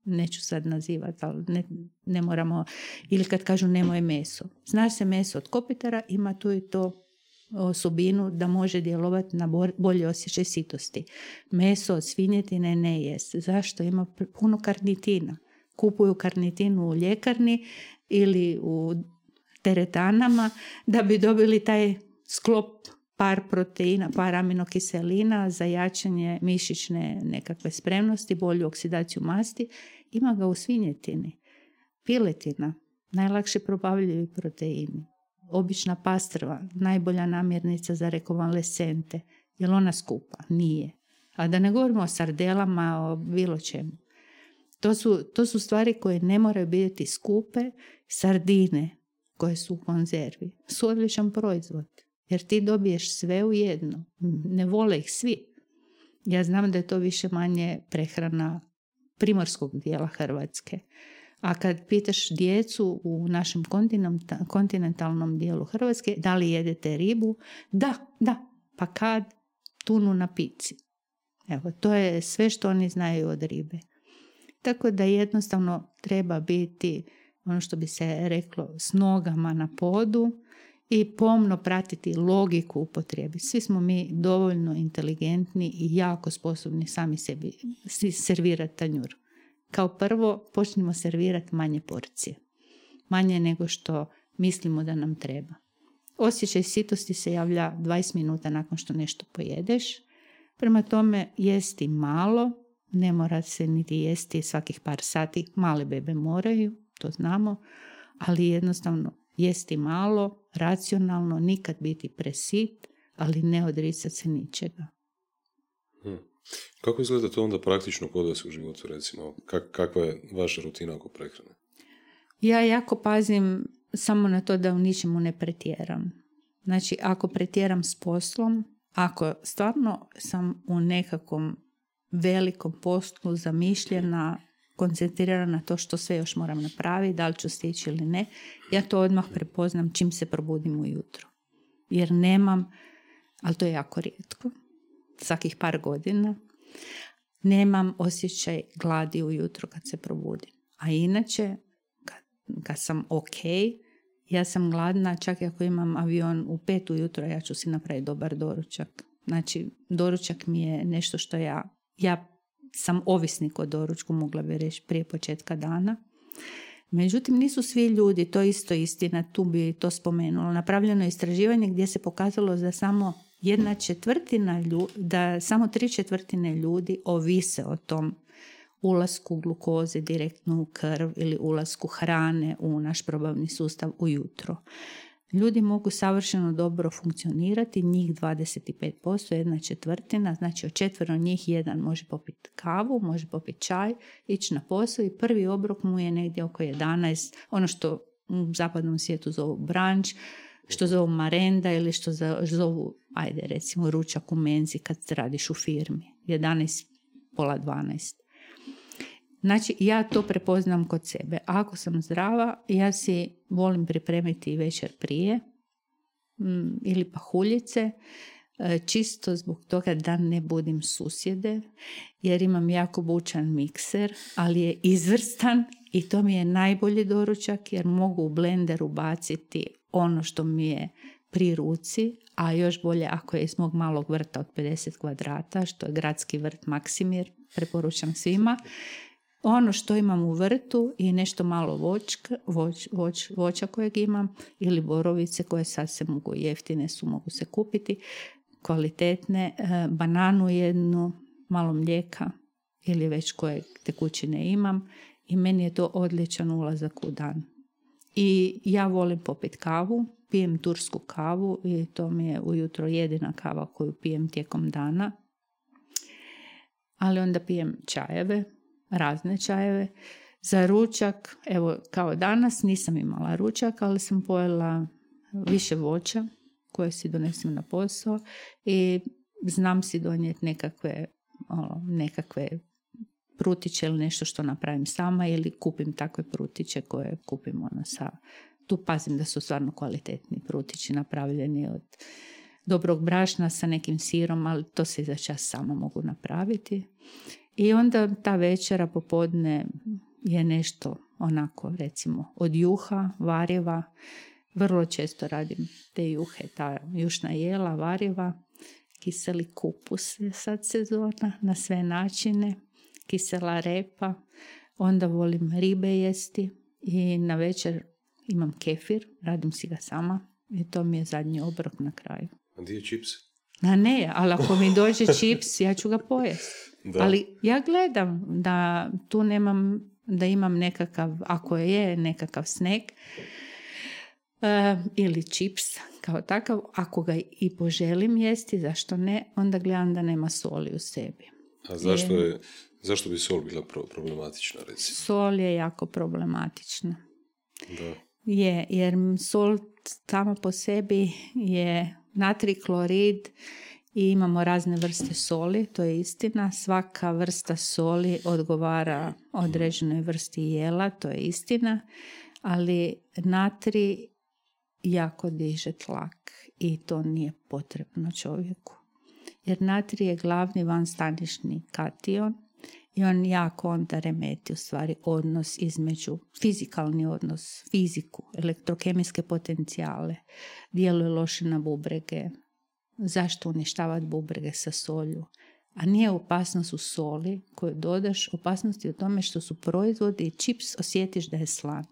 [SPEAKER 1] Neću sad nazivati, ali ne, ne moramo, ili kad kažu nemoj meso. Znaš se meso od kopitara, ima tu i to osobinu da može djelovati na bolji osjećaj sitosti. Meso od svinjetine ne jest. Zašto? Ima puno karnitina. Kupuju karnitinu u ljekarni ili u teretanama da bi dobili taj sklop par proteina, par aminokiselina za jačanje mišićne nekakve spremnosti, bolju oksidaciju masti. Ima ga u svinjetini. Piletina, najlakše probavljivi proteini. Obična pastrva, najbolja namirnica za rekonvalescente. Je li ona skupa? Nije. A da ne govorimo o sardelama, o bilo čemu. To su, to su stvari koje ne moraju biti skupe. Sardine koje su u konzervi su odličan proizvod. Jer ti dobiješ sve u jedno. Ne vole ih svi. Ja znam da je to više manje prehrana primorskog dijela Hrvatske. A kad pitaš djecu u našem kontinentalnom dijelu Hrvatske da li jedete ribu, da, da, pa kad tunu na pici. Evo, to je sve što oni znaju od ribe. Tako da jednostavno treba biti, ono što bi se reklo, s nogama na podu i pomno pratiti logiku upotrebi. Svi smo mi dovoljno inteligentni i jako sposobni sami sebi servirati tanjur. Kao prvo, počnemo servirati manje porcije. Manje nego što mislimo da nam treba. Osjećaj sitosti se javlja dvadeset minuta nakon što nešto pojedeš. Prema tome, jesti malo, ne mora se niti jesti svakih par sati. Male bebe moraju, to znamo, ali jednostavno jesti malo, racionalno, nikad biti presit, ali ne odricati se ničega.
[SPEAKER 2] Hmm. Kako izgleda to onda praktično kod vas u životu, recimo? Kak, kakva je vaša rutina oko prehrane?
[SPEAKER 1] Ja jako pazim samo na to da u ničemu ne pretjeram. Znači, ako pretjeram s poslom, ako stvarno sam u nekakvom velikom poslu zamišljena, koncentrirana na to što sve još moram napraviti, da li ću stići ili ne, ja to odmah prepoznam čim se probudim ujutro. Jer nemam, ali to je jako rijetko, svakih par godina, nemam osjećaj gladi ujutro kad se probudim. A inače, kad, kad sam ok, ja sam gladna, čak i ako imam avion u pet ujutro, ja ću si napraviti dobar doručak. Znači, doručak mi je nešto što ja, ja sam ovisnik o doručku, mogla bi reći, prije početka dana. Međutim, nisu svi ljudi, to isto istina, tu bi to spomenula. Napravljeno je istraživanje gdje se pokazalo da samo jedna četvrtina ljudi, da samo tri četvrtine ljudi ovise o tom ulasku glukoze direktno u krv ili ulasku hrane u naš probavni sustav ujutro. Ljudi mogu savršeno dobro funkcionirati, njih dvadeset pet posto, jedna četvrtina, znači od četvero njih jedan može popiti kavu, može popiti čaj, ići na posao i prvi obrok mu je negdje oko jedanaest, ono što u zapadnom svijetu zovu brunch, što zovu marenda ili što zovu, ajde recimo, ručak u menzi kad radiš u firmi, jedanaest, pola dvanaest. Znači, ja to prepoznam kod sebe. Ako sam zdrava, ja si volim pripremiti večer prije mm, ili pahuljice. čisto zbog toga da ne budim susjede, jer imam jako bučan mikser, ali je izvrstan i to mi je najbolji doručak jer mogu u blenderu baciti ono što mi je pri ruci, a još bolje ako je iz mog malog vrta od pedeset kvadrata, što je gradski vrt Maksimir, preporučam svima. Ono što imam u vrtu i nešto malo voćka, voć, voć, voća kojeg imam ili borovice koje sad se mogu, jeftine su, mogu se kupiti, kvalitetne, bananu jednu, malo mlijeka ili već koje tekućine imam i meni je to odličan ulazak u dan. I ja volim popiti kavu, pijem tursku kavu i to mi je ujutro jedina kava koju pijem tijekom dana. Ali onda pijem čajeve, razne čajeve. Za ručak, evo kao danas nisam imala ručak, ali sam pojela više voća koje si donesem na posao i znam si donijeti nekakve, ono, nekakve prutiće ili nešto što napravim sama ili kupim takve prutiće koje kupim ono sa... Tu pazim da su stvarno kvalitetni prutići napravljeni od dobrog brašna sa nekim sirom, ali to se za čas sama mogu napraviti. I onda ta večera popodne je nešto onako, recimo, od juha, varjeva. Vrlo često radim te juhe, ta jušna jela, varjeva, kiseli kupus je sad sezona, na sve načine, kisela repa. Onda volim ribe jesti i na večer imam kefir, radim si ga sama i to mi je zadnji obrok na kraju.
[SPEAKER 2] A gdje je čips?
[SPEAKER 1] A ne, ali ako mi dođe čips, ja ću ga pojesti. Da. Ali ja gledam da tu nemam, da imam nekakav, ako je nekakav snack uh, ili čips kao takav, ako ga i poželim jesti, zašto ne, onda gledam da nema soli u sebi.
[SPEAKER 2] A zašto, je, zašto bi sol bila problematična, recimo?
[SPEAKER 1] Sol je jako problematična.
[SPEAKER 2] Da.
[SPEAKER 1] Je, jer sol sama po sebi je natrij klorid i imamo razne vrste soli, to je istina. Svaka vrsta soli odgovara određenoj vrsti jela, to je istina, ali natrij jako diže tlak i to nije potrebno čovjeku. Jer natrij je glavni vanstanični kation i on jako onda remeti u stvari odnos između, fizikalni odnos, fiziku, elektrokemijske potencijale, djeluje loše na bubrege. Zašto uništavati bubrege sa solju? A nije opasnost u soli koju dodaš, opasnost je u tome što su proizvodi i čips osjetiš da je slan.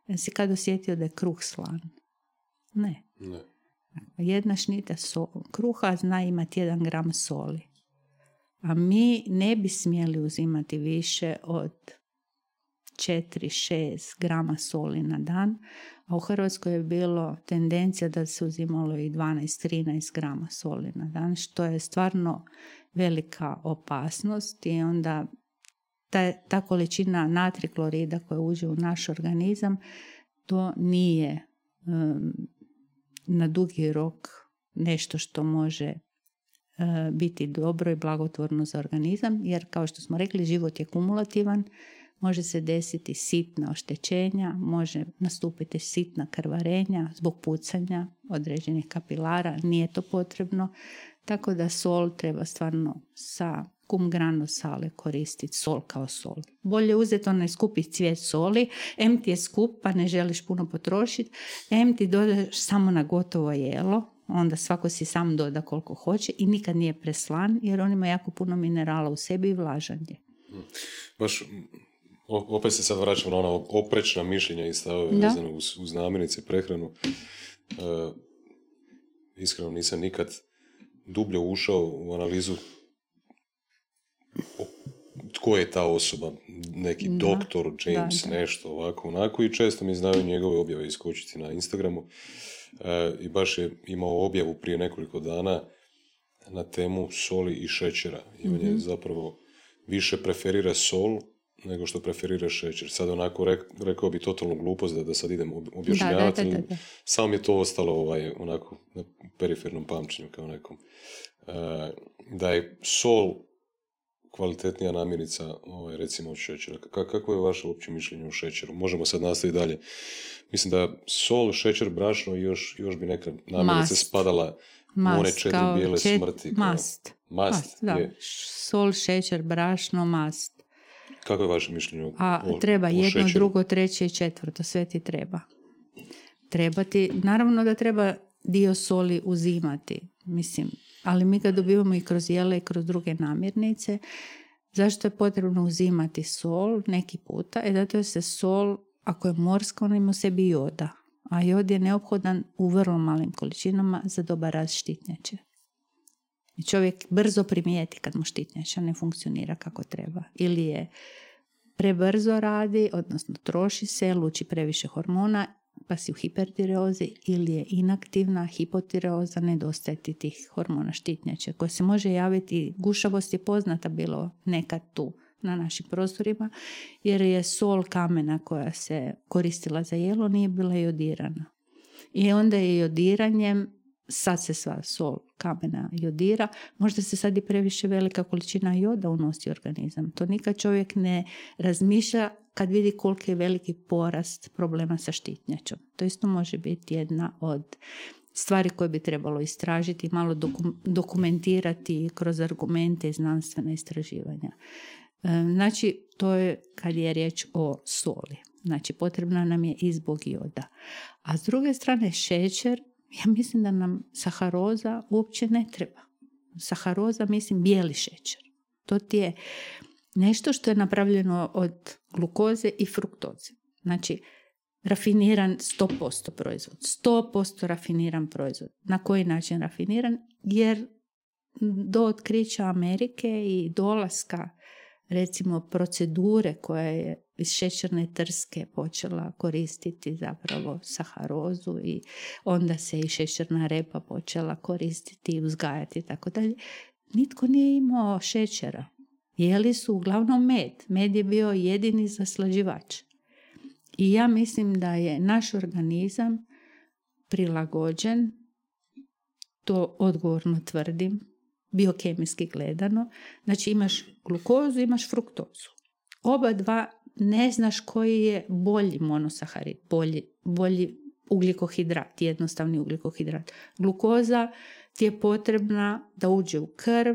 [SPEAKER 1] Jesi kad osjetio da je kruh slan? Ne.
[SPEAKER 2] Ne.
[SPEAKER 1] Jedna šnita so, kruha zna imati jedan gram soli. A mi ne bi smjeli uzimati više od četiri do šest grama soli na dan, a u Hrvatskoj je bilo tendencija da se uzimalo i dvanaest do trinaest grama soli na dan, što je stvarno velika opasnost i onda ta, ta količina natrij klorida koja uđe u naš organizam, to nije um, na dugi rok nešto što može biti dobro i blagotvorno za organizam, jer kao što smo rekli, život je kumulativan, može se desiti sitna oštećenja, može nastupiti sitna krvarenja zbog pucanja određenih kapilara, nije to potrebno, tako da sol treba stvarno sa cum grano sale koristiti, sol kao sol. Bolje uzeti onaj skupi cvijet soli, em ti je skup pa ne želiš puno potrošiti, em ti dodaš samo na gotovo jelo, onda svako si sam doda koliko hoće i nikad nije preslan jer on ima jako puno minerala u sebi i vlažanje.
[SPEAKER 2] Baš, opet se sad vraćamo na ona oprečna mišljenja i stavove vezano uz, uz namirnice, prehranu. E, iskreno nisam nikad dublje ušao u analizu o, tko je ta osoba, neki da. doktor, James, da, da. nešto ovako onako i često mi znaju njegove objave iskočiti na Instagramu. E, i baš je imao objavu prije nekoliko dana na temu soli i šećera i on mm-hmm. je zapravo više preferira sol nego što preferira šećer. Sad onako rek, rekao bi totalnu glupost da, da sad idem objašnjavati, da, da, da, da. Samo je to ostalo ovaj, onako na perifernom pamćenju kao nekom. E, da je sol kvalitetnija namirnica ovaj, recimo od šećera. K- kako je vaše uopće mišljenje o šećeru? Možemo sad nastaviti dalje. Mislim da sol, šećer, brašno i još, još bi neka namirnica Mas. spadala
[SPEAKER 1] Mast,
[SPEAKER 2] one četiri
[SPEAKER 1] kao
[SPEAKER 2] bijele
[SPEAKER 1] čet...
[SPEAKER 2] smrti. Kao...
[SPEAKER 1] Mast.
[SPEAKER 2] Mast,
[SPEAKER 1] mast da.
[SPEAKER 2] je.
[SPEAKER 1] Sol, šećer, brašno, mast.
[SPEAKER 2] Kako je vaše mišljenje?
[SPEAKER 1] A
[SPEAKER 2] o,
[SPEAKER 1] treba
[SPEAKER 2] o
[SPEAKER 1] jedno,
[SPEAKER 2] šećeru?
[SPEAKER 1] drugo, treće i četvrto. Sve ti treba. Treba ti, naravno da treba dio soli uzimati. Mislim, ali mi ga dobivamo i kroz jele i kroz druge namirnice. Zašto je potrebno uzimati sol neki puta? E zato je se sol, ako je morska, ona ima u sebi joda. A jod je neophodan u vrlo malim količinama za dobar rast štitnjače. I čovjek brzo primijeti kad mu štitnjača ne funkcionira kako treba. Ili je prebrzo radi, odnosno troši se, luči previše hormona, pa si u hipertireozi, ili je inaktivna hipotireoza, nedostaje ti tih hormona štitnjače, koja se može javiti. Gušavost je poznata bilo nekad tu na našim prostorima, jer je sol kamena koja se koristila za jelo nije bila jodirana. I onda je jodiranjem, sad se sva sol kamena jodira, možda se sad i previše velika količina joda unosi u organizam. To nikad čovjek ne razmišlja kad vidi koliki je veliki porast problema sa štitnjačom. To isto može biti jedna od stvari koje bi trebalo istražiti, malo dokum- dokumentirati kroz argumente i znanstvena istraživanja. Znači, to je kad je riječ o soli. Znači, potrebna nam je i zbog joda. A s druge strane, šećer, ja mislim da nam saharoza uopće ne treba. Saharoza, mislim, bijeli šećer. To ti je nešto što je napravljeno od glukoze i fruktoze. Znači, rafiniran sto posto proizvod. sto posto rafiniran proizvod. Na koji način rafiniran? Jer do otkrića Amerike i dolaska, recimo, procedure koja je iz šećerne trske počela koristiti zapravo saharozu i onda se i šećerna repa počela koristiti i uzgajati i tako dalje. Nitko nije imao šećera. Jeli su uglavnom med. Med je bio jedini zaslađivač. I ja mislim da je naš organizam prilagođen, to odgovorno tvrdim, biokemijski gledano. Znači imaš glukozu, imaš fruktozu. Oba dva ne znaš koji je bolji monosaharid, bolji, bolji ugljikohidrat, jednostavni ugljikohidrat. Glukoza ti je potrebna da uđe u krv,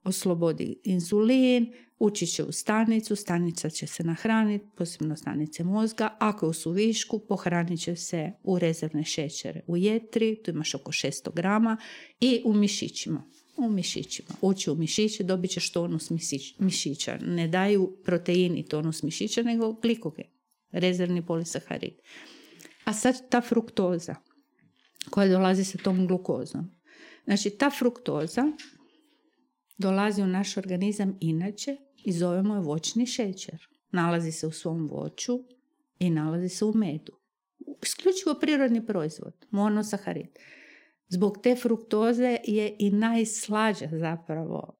[SPEAKER 1] oslobodi inzulin, ući će u stanicu, stanica će se nahraniti, posebno stanice mozga. Ako je u suvišku, pohranit će se u rezervne šećere u jetri, tu imaš oko šesto grama, i u mišićima. U mišićima. Ući u mišiće, dobit ćeš tonus mišića. Ne daju proteini tonus mišića, nego glikogen, rezervni polisaharid. A sad ta fruktoza koja dolazi sa tom glukozom. Znači, ta fruktoza dolazi u naš organizam inače i zovemo je voćni šećer. Nalazi se u svom voću i nalazi se u medu. Isključivo prirodni proizvod, monosaharid. Zbog te fruktoze je i najslađa zapravo,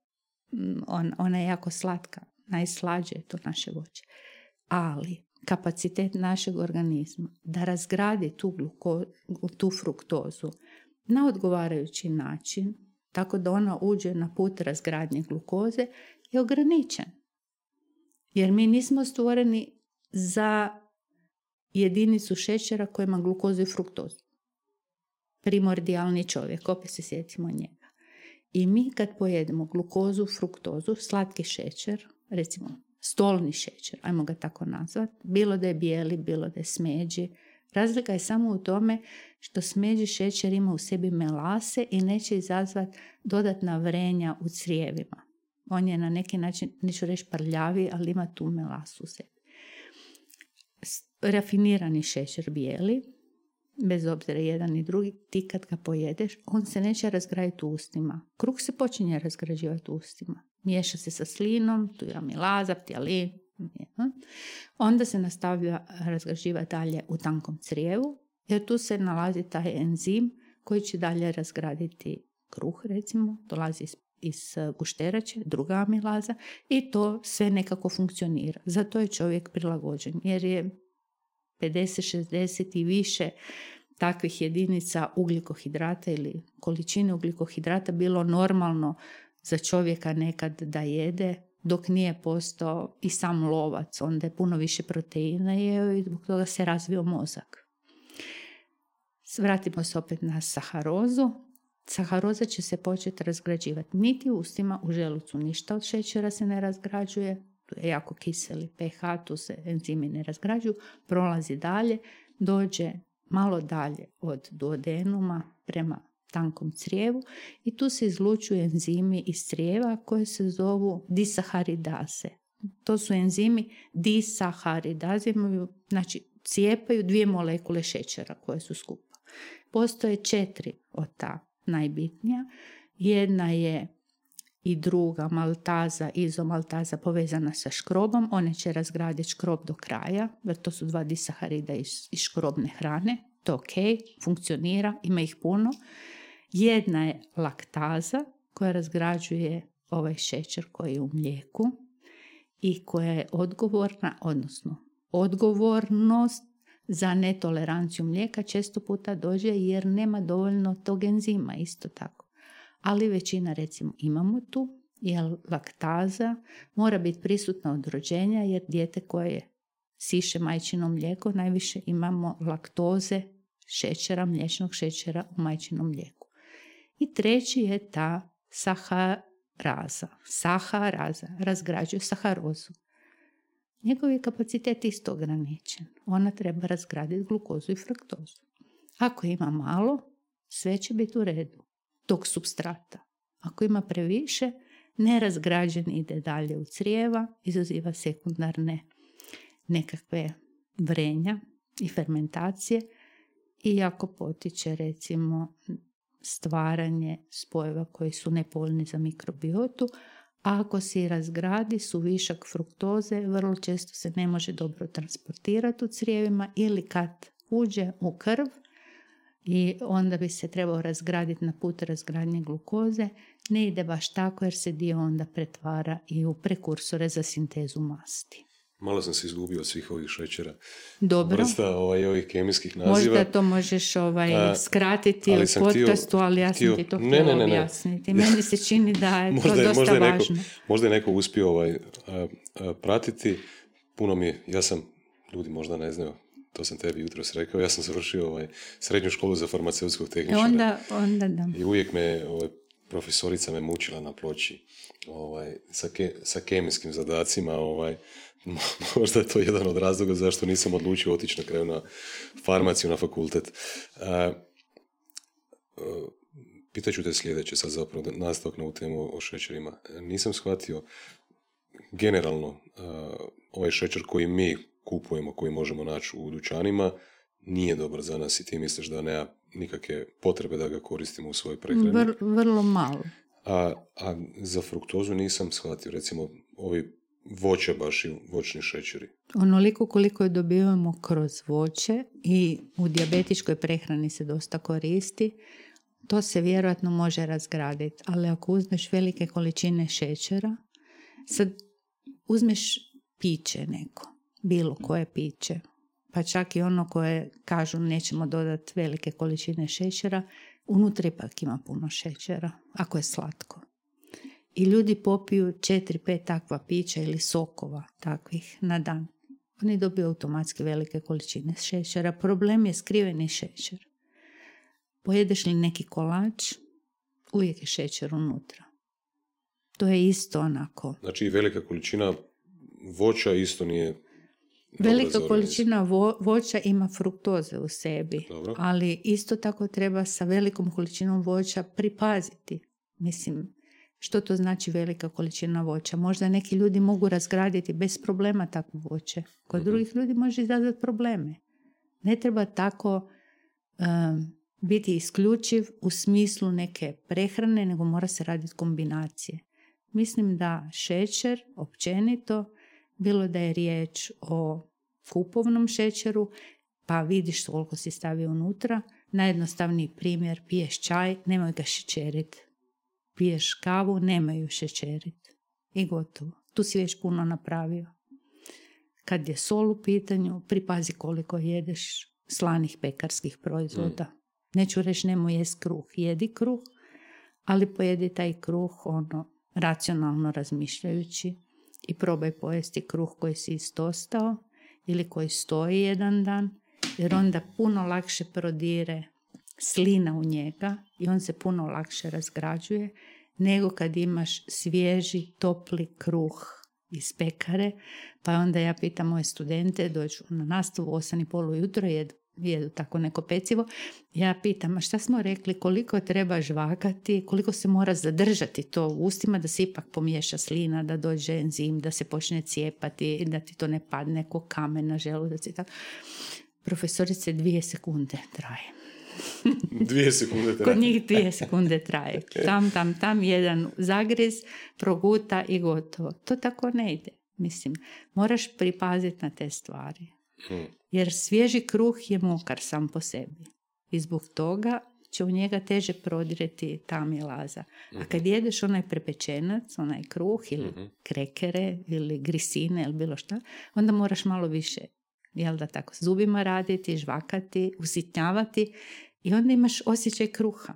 [SPEAKER 1] on, ona je jako slatka, najslađe je to naše voće. Ali kapacitet našeg organizma da razgradi tu, gluko, tu fruktozu na odgovarajući način, tako da ona uđe na put razgradnje glukoze, je ograničen. Jer mi nismo stvoreni za jedinicu šećera koja ima glukozu i fruktozu. Primordijalni čovjek, opet se sjetimo njega. I mi kad pojedemo glukozu, fruktozu, slatki šećer, recimo stolni šećer, ajmo ga tako nazvat, bilo da je bijeli, bilo da je smeđi, razlika je samo u tome što smeđi šećer ima u sebi melase i neće izazvati dodatna vrenja u crijevima. On je na neki način, neću reći prljavi, ali ima tu melasu u sebi. Rafinirani šećer bijeli, bez obzira jedan i drugi, ti kad ga pojedeš, on se neće razgraditi u ustima. Kruh se počinje razgrađivati u ustima. Miješa se sa slinom, tu je amilaza, ptialin. Onda se nastavlja razgrađivati dalje u tankom crijevu, jer tu se nalazi taj enzim koji će dalje razgraditi kruh, recimo, dolazi iz, iz gušterače, druga amilaza, i to sve nekako funkcionira. Zato je čovjek prilagođen, jer je pedeset šezdeset i više takvih jedinica ugljikohidrata ili količine ugljikohidrata bilo normalno za čovjeka nekad da jede, dok nije postao i sam lovac, onda je puno više proteina jeo i zbog toga se razvio mozak. Vratimo se opet na saharozu. saharoza će se početi razgrađivati. Niti u ustima, u želucu ništa od šećera se ne razgrađuje, tu je jako kiseli pH, tu se enzimi ne razgrađuju, prolazi dalje, dođe malo dalje od duodenuma prema tankom crijevu i tu se izlučuju enzimi iz crijeva koje se zovu disaharidaze. To su enzimi disaharidaze, imaju, znači cijepaju dvije molekule šećera koje su skupa. Postoje četiri od ta najbitnija. Jedna je i druga maltaza, izomaltaza povezana sa škrobom. One će razgraditi škrob do kraja, jer to su dva disaharida iz, iz škrobne hrane. To je ok, funkcionira, ima ih puno. Jedna je laktaza koja razgrađuje ovaj šećer koji je u mlijeku i koja je odgovorna, odnosno odgovornost za netoleranciju mlijeka često puta dođe jer nema dovoljno tog enzima isto tako. Ali većina recimo imamo tu, jer laktaza mora biti prisutna od rođenja jer dijete koje siše majčino mlijeko najviše imamo laktoze, šećera, mliječnog šećera u majčinom mlijeku. I treći je ta saharaza. Saharaza razgrađuje saharozu. Njegov je kapacitet isto ograničen. Ona treba razgraditi glukozu i fraktozu. Ako ima malo, sve će biti u redu tog supstrata. Ako ima previše, nerazgrađen ide dalje u crijeva, izaziva sekundarne nekakve vrenja i fermentacije i jako potiče recimo stvaranje spojeva koji su nepovoljni za mikrobiotu, a ako se razgradi su višak fruktoze, vrlo često se ne može dobro transportirati u crijevima ili kad uđe u krv i onda bi se trebao razgraditi na put razgradnje glukoze, ne ide baš tako jer se dio onda pretvara i u prekursore za sintezu masti.
[SPEAKER 2] Malo sam se izgubio od svih ovih šećera.
[SPEAKER 1] Dobro.
[SPEAKER 2] Vrsta ovaj, ovih kemijskih naziva.
[SPEAKER 1] Možda to možeš ovaj, A, skratiti u podcastu, htio, ali ja sam htio, ti to htjela ne, ne, ne, objasniti. Meni se čini da je možda, to dosta možda je neko, važno.
[SPEAKER 2] Možda je neko uspio ovaj, a, a, pratiti. Puno mi je, ja sam, ljudi možda ne znaju, to sam tebi jutros rekao, ja sam završio ovaj, srednju školu za farmaceutskog tehničara.
[SPEAKER 1] Onda, onda da.
[SPEAKER 2] I uvijek me ovaj, profesorica me mučila na ploči ovaj, sa, ke, sa kemijskim zadacima, ovaj, možda je to jedan od razloga zašto nisam odlučio otići na kraju na farmaciju, na fakultet. Uh, uh, pitaću te sljedeće, sad zapravo nastavak na ovu temu o šećerima. Nisam shvatio generalno uh, ovaj šećer koji mi kupujemo, koji možemo naći u dućanima, nije dobar za nas i ti misliš da nema nikakve potrebe da ga koristimo u svojoj prehrani?
[SPEAKER 1] Vr, vrlo malo.
[SPEAKER 2] A, a za fruktozu nisam shvatio, recimo ovi voće baš i voćni šećeri.
[SPEAKER 1] Onoliko koliko je dobivamo kroz voće i u dijabetičkoj prehrani se dosta koristi, to se vjerojatno može razgraditi. Ali ako uzmeš velike količine šećera, sad uzmeš piće neko, bilo koje piće, pa čak i ono koje kažu nećemo dodati velike količine šećera, unutra ipak ima puno šećera, ako je slatko. I ljudi popiju četiri pet takva pića ili sokova takvih na dan. Oni dobiju automatski velike količine šećera. Problem je skriveni šećer. Pojedeš li neki kolač, uvijek je šećer unutra. To je isto onako.
[SPEAKER 2] Znači velika količina voća isto nije...
[SPEAKER 1] Velika količina vo, voća ima fruktoze u sebi.
[SPEAKER 2] Dobro.
[SPEAKER 1] Ali isto tako treba sa velikom količinom voća pripaziti. Mislim, što to znači velika količina voća? Možda neki ljudi mogu razgraditi bez problema takvo voće. Kod mm-hmm. drugih ljudi može izazvati probleme. Ne treba tako um, biti isključiv u smislu neke prehrane, nego mora se raditi kombinacije. Mislim da šećer, općenito, bilo da je riječ o kupovnom šećeru, pa vidiš koliko si stavio unutra, najjednostavniji primjer, piješ čaj, nemoj ga šećeriti. Piješ kavu, nemoj ju šećeriti. I gotovo. Tu si već puno napravio. Kad je sol u pitanju, pripazi koliko jedeš slanih pekarskih proizvoda. Mm. Neću reći nemoj jest kruh, jedi kruh, ali pojedi taj kruh ono, racionalno razmišljajući i probaj pojesti kruh koji si istostao ili koji stoji jedan dan, jer onda puno lakše prodire slina u njega i on se puno lakše razgrađuje nego kad imaš svježi, topli kruh iz pekare, pa onda ja pitam moje studente, dođu na nastavu osam i pol ujutro, jedu, jedu tako neko pecivo, ja pitam, a šta smo rekli, koliko treba žvakati, koliko se mora zadržati to u ustima, da se ipak pomiješa slina, da dođe enzim, da se počne cijepati, da ti to ne padne ko kamen na želudac i tako. Profesorice, dvije sekunde traje.
[SPEAKER 2] Dvije sekunde traje.
[SPEAKER 1] Kod njih dvije sekunde traje. Tam, tam, tam, jedan zagriz, proguta i gotovo. To tako ne ide. Mislim, moraš pripaziti na te stvari. Hmm. Jer svježi kruh je mokar sam po sebi. I zbog toga će u njega teže prodireti ta milaza. A kad jedeš onaj prepečenac, onaj kruh ili hmm. krekere ili grisine ili bilo šta, onda moraš malo više, jel da tako, zubima raditi, žvakati, usitnjavati i onda imaš osjećaj kruha.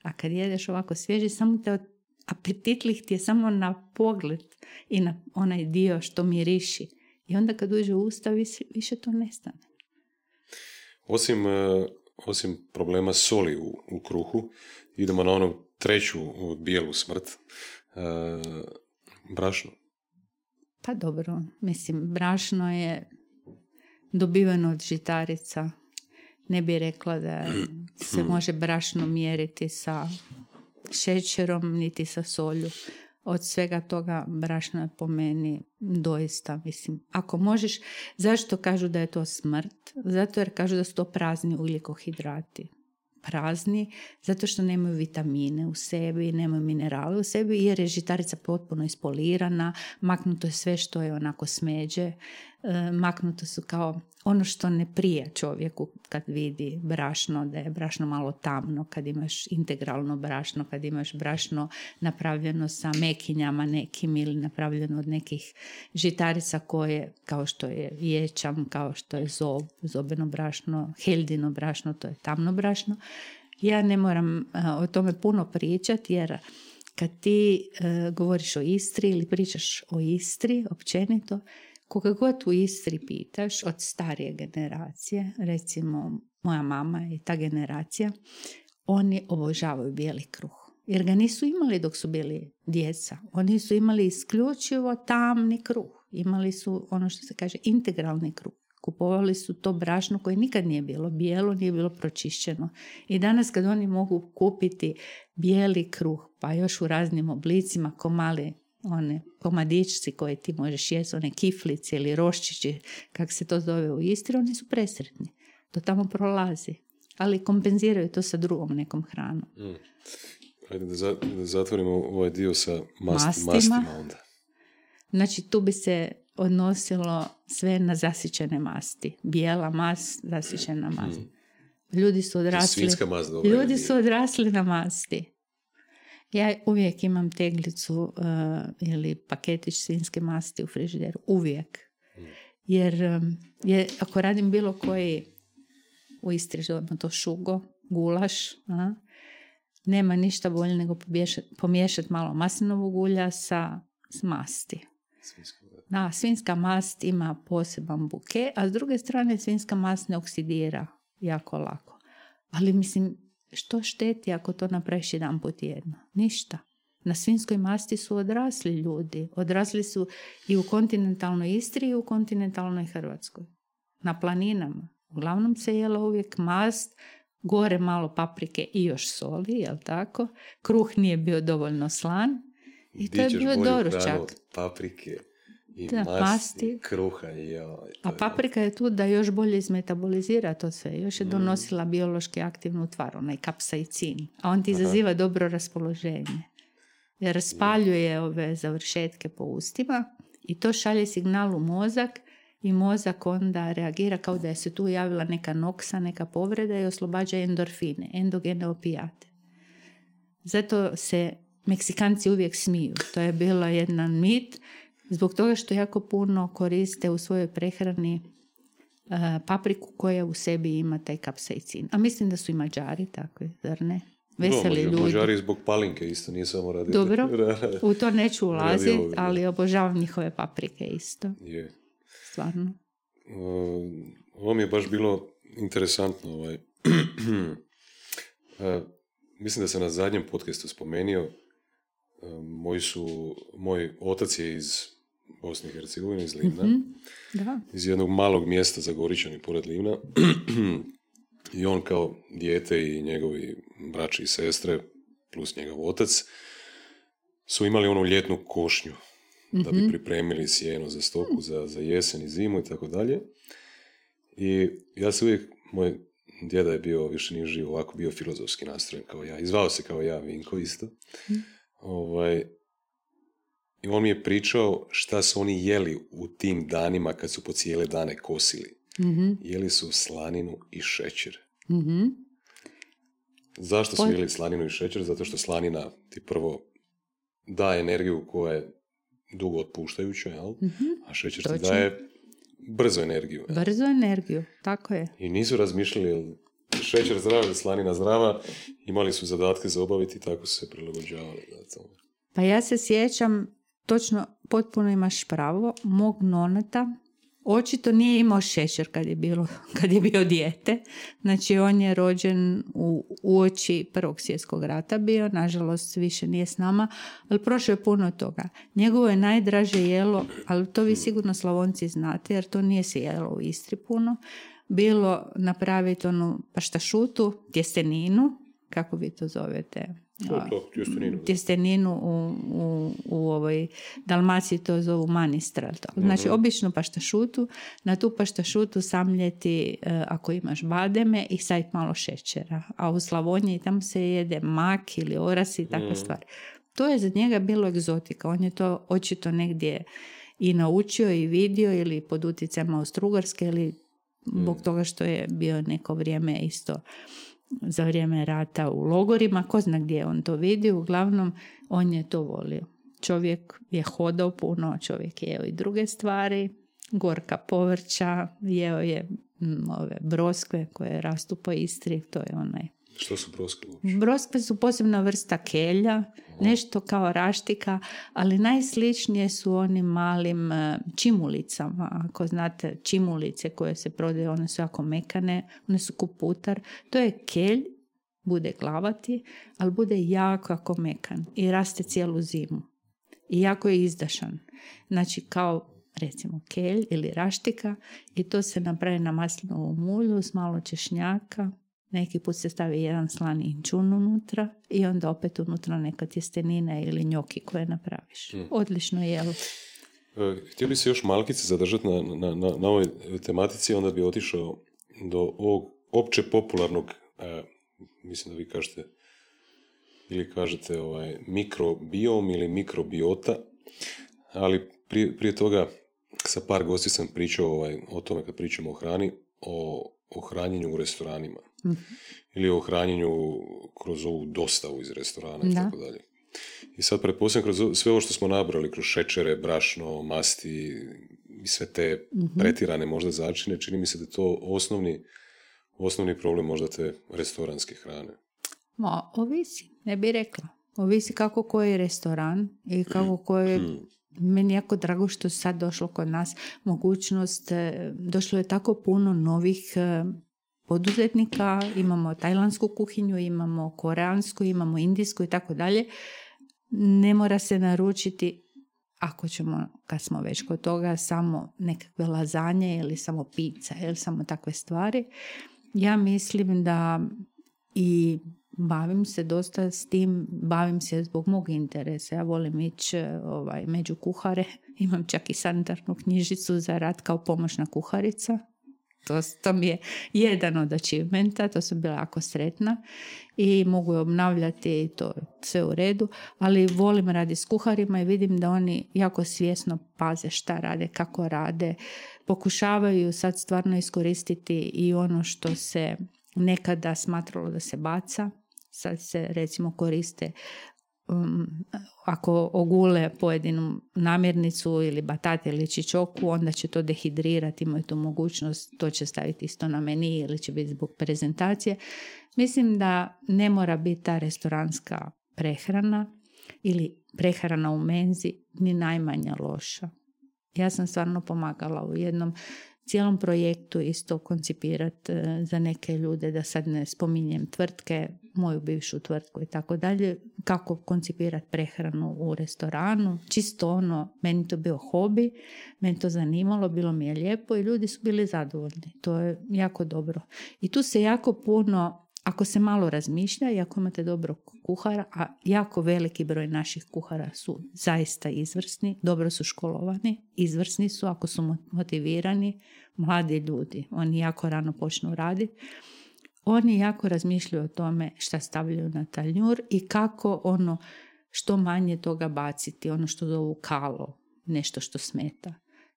[SPEAKER 1] A kad jedeš ovako svježi, samo te od apetitlih ti je samo na pogled i na onaj dio što miriši. I onda kad uđe u usta, više, više to nestane.
[SPEAKER 2] Osim, uh, osim problema soli u, u kruhu, idemo na onu treću bijelu smrt. Uh, brašno.
[SPEAKER 1] Pa dobro, mislim, brašno je dobiveno od žitarica. Ne bi rekla da se može brašno mjeriti sa šećerom, niti sa solju. Od svega toga brašno je po meni doista, mislim, ako možeš, zašto kažu da je to smrt? Zato jer kažu da su to prazni ugljikohidrati. Prazni, zato što nemaju vitamine u sebi, nemaju minerale u sebi, jer je žitarica potpuno ispolirana, maknuto je sve što je onako smeđe, maknuto su kao ono što ne prija čovjeku kad vidi brašno, da je brašno malo tamno, kad imaš integralno brašno, kad imaš brašno napravljeno sa mekinjama nekim ili napravljeno od nekih žitarica koje, kao što je ječam, kao što je zob, zobeno brašno, heldino brašno, to je tamno brašno. Ja ne moram uh, o tome puno pričati, jer kad ti uh, govoriš o Istri ili pričaš o Istri općenito, koga god u Istri pitaš od starije generacije, recimo moja mama i ta generacija, oni obožavaju bijeli kruh. Jer ga nisu imali dok su bili djeca. Oni su imali isključivo tamni kruh. Imali su ono što se kaže integralni kruh. Kupovali su to brašno koje nikad nije bilo bijelo, nije bilo pročišćeno. I danas kad oni mogu kupiti bijeli kruh, pa još u raznim oblicima, ko mali one komadičici koje ti možeš jesti, one kiflice ili roščići, kako se to zove u Istri, oni su presretni. To tamo prolazi. Ali kompenziraju to sa drugom nekom hranom.
[SPEAKER 2] Mm. Ajde da, za, da zatvorimo ovaj dio sa masti,
[SPEAKER 1] mastima.
[SPEAKER 2] mastima onda.
[SPEAKER 1] Znači tu bi se odnosilo sve na zasićene masti. Bijela mast, zasićena mast. Mm. Ljudi su odrasli.
[SPEAKER 2] Svinjska mast, dobra,
[SPEAKER 1] ljudi su odrasli na masti. Ja uvijek imam teglicu uh, ili paketić svinjske masti u frižideru. Uvijek. Mm. Jer um, je, ako radim bilo koji, u Istri zovemo to šugo, gulaš, a, nema ništa bolje nego pomiješati malo maslinovog ulja sa s masti.
[SPEAKER 2] Svinjska,
[SPEAKER 1] da, svinjska mast ima poseban buke, a s druge strane svinjska mast ne oksidira jako lako. Ali mislim, što šteti ako to napraviš jedan put jedno? Ništa. Na svinjskoj masti su odrasli ljudi. Odrasli su i u kontinentalnoj Istri i u kontinentalnoj Hrvatskoj. Na planinama. Uglavnom se jela uvijek mast, gore malo paprike i još soli, jel tako? Kruh nije bio dovoljno slan i to je bio doručak.
[SPEAKER 2] Paprike i
[SPEAKER 1] da,
[SPEAKER 2] masti,
[SPEAKER 1] masti,
[SPEAKER 2] kruha. Joj,
[SPEAKER 1] a paprika je tu da još bolje izmetabolizira to sve. Još je donosila mm. biološki aktivnu tvar, onaj kapsaicin. A on ti izaziva Aha. dobro raspoloženje. Jer spaljuje ove završetke po ustima i to šalje signal u mozak i mozak onda reagira kao da je se tu javila neka noksa, neka povreda i oslobađa endorfine, endogene opijate. Zato se Meksikanci uvijek smiju. To je bila jedan mit zbog toga što jako puno koriste u svojoj prehrani uh, papriku koja u sebi ima taj kapsaicin. A mislim da su i Mađari takvi, zar ne? Veseli
[SPEAKER 2] no,
[SPEAKER 1] ljudi.
[SPEAKER 2] Mađari zbog palinke isto, nije samo radi.
[SPEAKER 1] Dobro, u to neću ulaziti, ali obožavam njihove paprike isto.
[SPEAKER 2] Je.
[SPEAKER 1] Stvarno.
[SPEAKER 2] Uh, ovo mi je baš bilo interesantno. Ovaj. uh, mislim da sam na zadnjem podcastu spomenuo, moj, su, moj otac je iz Bosne i Hercegovine, iz Livna,
[SPEAKER 1] mm-hmm. da.
[SPEAKER 2] iz jednog malog mjesta za Goričani pored Livna. I on kao dijete i njegovi braći i sestre, plus njegov otac, su imali onu ljetnu košnju, mm-hmm. da bi pripremili sjeno za stoku, za, za jesen i zimu i tako dalje. I ja se uvijek, moj djeda je bio, više nije živ, ovako bio filozofski nastrojen kao ja. Izvao se kao ja, Vinko isto. Mm. Ovaj, I on mi je pričao šta su oni jeli u tim danima kad su po cijele dane kosili. Mm-hmm. Jeli su slaninu i šećer. Mm-hmm. Zašto su Pod... jeli slaninu i šećer? Zato što slanina ti prvo da energiju koja je dugo otpuštajuća, jel? Mm-hmm. A šećer ti Točno. daje brzo energiju. Jel?
[SPEAKER 1] Brzo energiju, tako je.
[SPEAKER 2] I nisu razmišljali šećer zdrav ili slanina zdrava, imali su zadatke za obaviti i tako su se prilagođavali.
[SPEAKER 1] Pa ja se sjećam, točno, potpuno imaš pravo, mog nonata očito nije imao šećer kad je, bilo, kad je bio dijete. Znači on je rođen u uoči Prvog svjetskog rata bio, nažalost više nije s nama, ali prošlo je puno toga. Njegovo je najdraže jelo, ali to vi sigurno Slavonci znate jer to nije se jelo u Istri puno, bilo napraviti onu paštašutu, tjesteninu, kako vi to zovete?
[SPEAKER 2] To, to, tjesteninu.
[SPEAKER 1] Tjesteninu u, u, u ovoj Dalmaciji to zovu manistra. Znači, mm-hmm. obično paštašutu, na tu paštašutu samljeti uh, ako imaš bademe i staviti malo šećera. A u Slavoniji tam se jede mak ili oras i takva mm. stvar. To je za njega bilo egzotika. On je to očito negdje i naučio i vidio ili pod utjecajem Austro-Ugarske ili zbog mm. toga što je bio neko vrijeme isto za vrijeme rata u logorima, ko zna gdje je on to vidio, uglavnom on je to volio. Čovjek je hodao puno, čovjek je jeo i druge stvari, gorka povrća, jeo je m, ove broskve koje rastu po Istri, to je onaj.
[SPEAKER 2] Što su broskve?
[SPEAKER 1] Broskve su posebna vrsta kelja, nešto kao raštika, ali najsličnije su onim malim čimulicama. Ako znate čimulice koje se prodaju, one su jako mekane, one su kuputar. To je kelj, bude glavati, ali bude jako, jako mekan i raste cijelu zimu. I jako je izdašan. Znači kao recimo kelj ili raštika i to se napravi na maslinovom ulju s malo češnjaka. Neki put se stavi jedan slani inčun unutra i onda opet unutra neka tjestenina ili njoki koje napraviš. Hmm. Odlično jelo.
[SPEAKER 2] Htio bi se još malkice zadržati na, na, na, na ovoj tematici, onda bi otišao do ovog opće popularnog, eh, mislim da vi kažete, ili kažete ovaj, mikrobiom ili mikrobiota, ali prije, prije toga sa par gosti sam pričao ovaj, o tome kad pričamo o hrani, o, o hranjenju u restoranima. Mm-hmm. Ili o hranjenju kroz ovu dostavu iz restorana i tako dalje. I sad pretpostavljam kroz sve ovo što smo nabrali, kroz šećere, brašno, masti i sve te mm-hmm. pretirane možda začine, čini mi se da je to osnovni, osnovni problem možda te restoranske hrane.
[SPEAKER 1] Ma, ovisi, ne bi rekla. Ovisi kako koji je restoran i kako koji hmm. Meni je jako drago što sad došlo kod nas mogućnost, došlo je tako puno novih poduzetnika, imamo tajlandsku kuhinju, imamo koreansku, imamo indijsku i tako dalje. Ne mora se naručiti, ako ćemo, kad smo već kod toga, samo nekakve lazanje ili samo pizza ili samo takve stvari. Ja mislim da i bavim se dosta s tim, bavim se zbog mog interesa. Ja volim ići ovaj, među kuhare, imam čak i sanitarnu knjižicu za rad kao pomoćna kuharica. To, to mi je jedan od achievementa, to sam bila jako sretna i mogu je obnavljati, to sve u redu, ali volim raditi s kuharima i vidim da oni jako svjesno paze šta rade, kako rade, pokušavaju sad stvarno iskoristiti i ono što se nekada smatralo da se baca, sad se recimo koriste um, ako ogule pojedinu namirnicu ili batate ili čičoku, onda će to dehidrirati, imaju tu mogućnost, to će staviti isto na meni ili će biti zbog prezentacije. Mislim da ne mora biti ta restoranska prehrana ili prehrana u menzi ni najmanja loša. Ja sam stvarno pomagala u jednom cijelom projektu isto koncipirati za neke ljude, da sad ne spominjem tvrtke, moju bivšu tvrtku i tako dalje, kako koncipirati prehranu u restoranu, čisto ono, meni to bio hobi, meni to zanimalo, bilo mi je lijepo i ljudi su bili zadovoljni. To je jako dobro. I tu se jako puno, ako se malo razmišlja i ako imate dobrog kuhara, a jako veliki broj naših kuhara su zaista izvrsni, dobro su školovani, izvrsni su ako su motivirani, mladi ljudi, oni jako rano počnu raditi. Oni jako razmišljaju o tome šta stavljaju na tanjur i kako ono što manje toga baciti, ono što zovu kalo, nešto što smeta.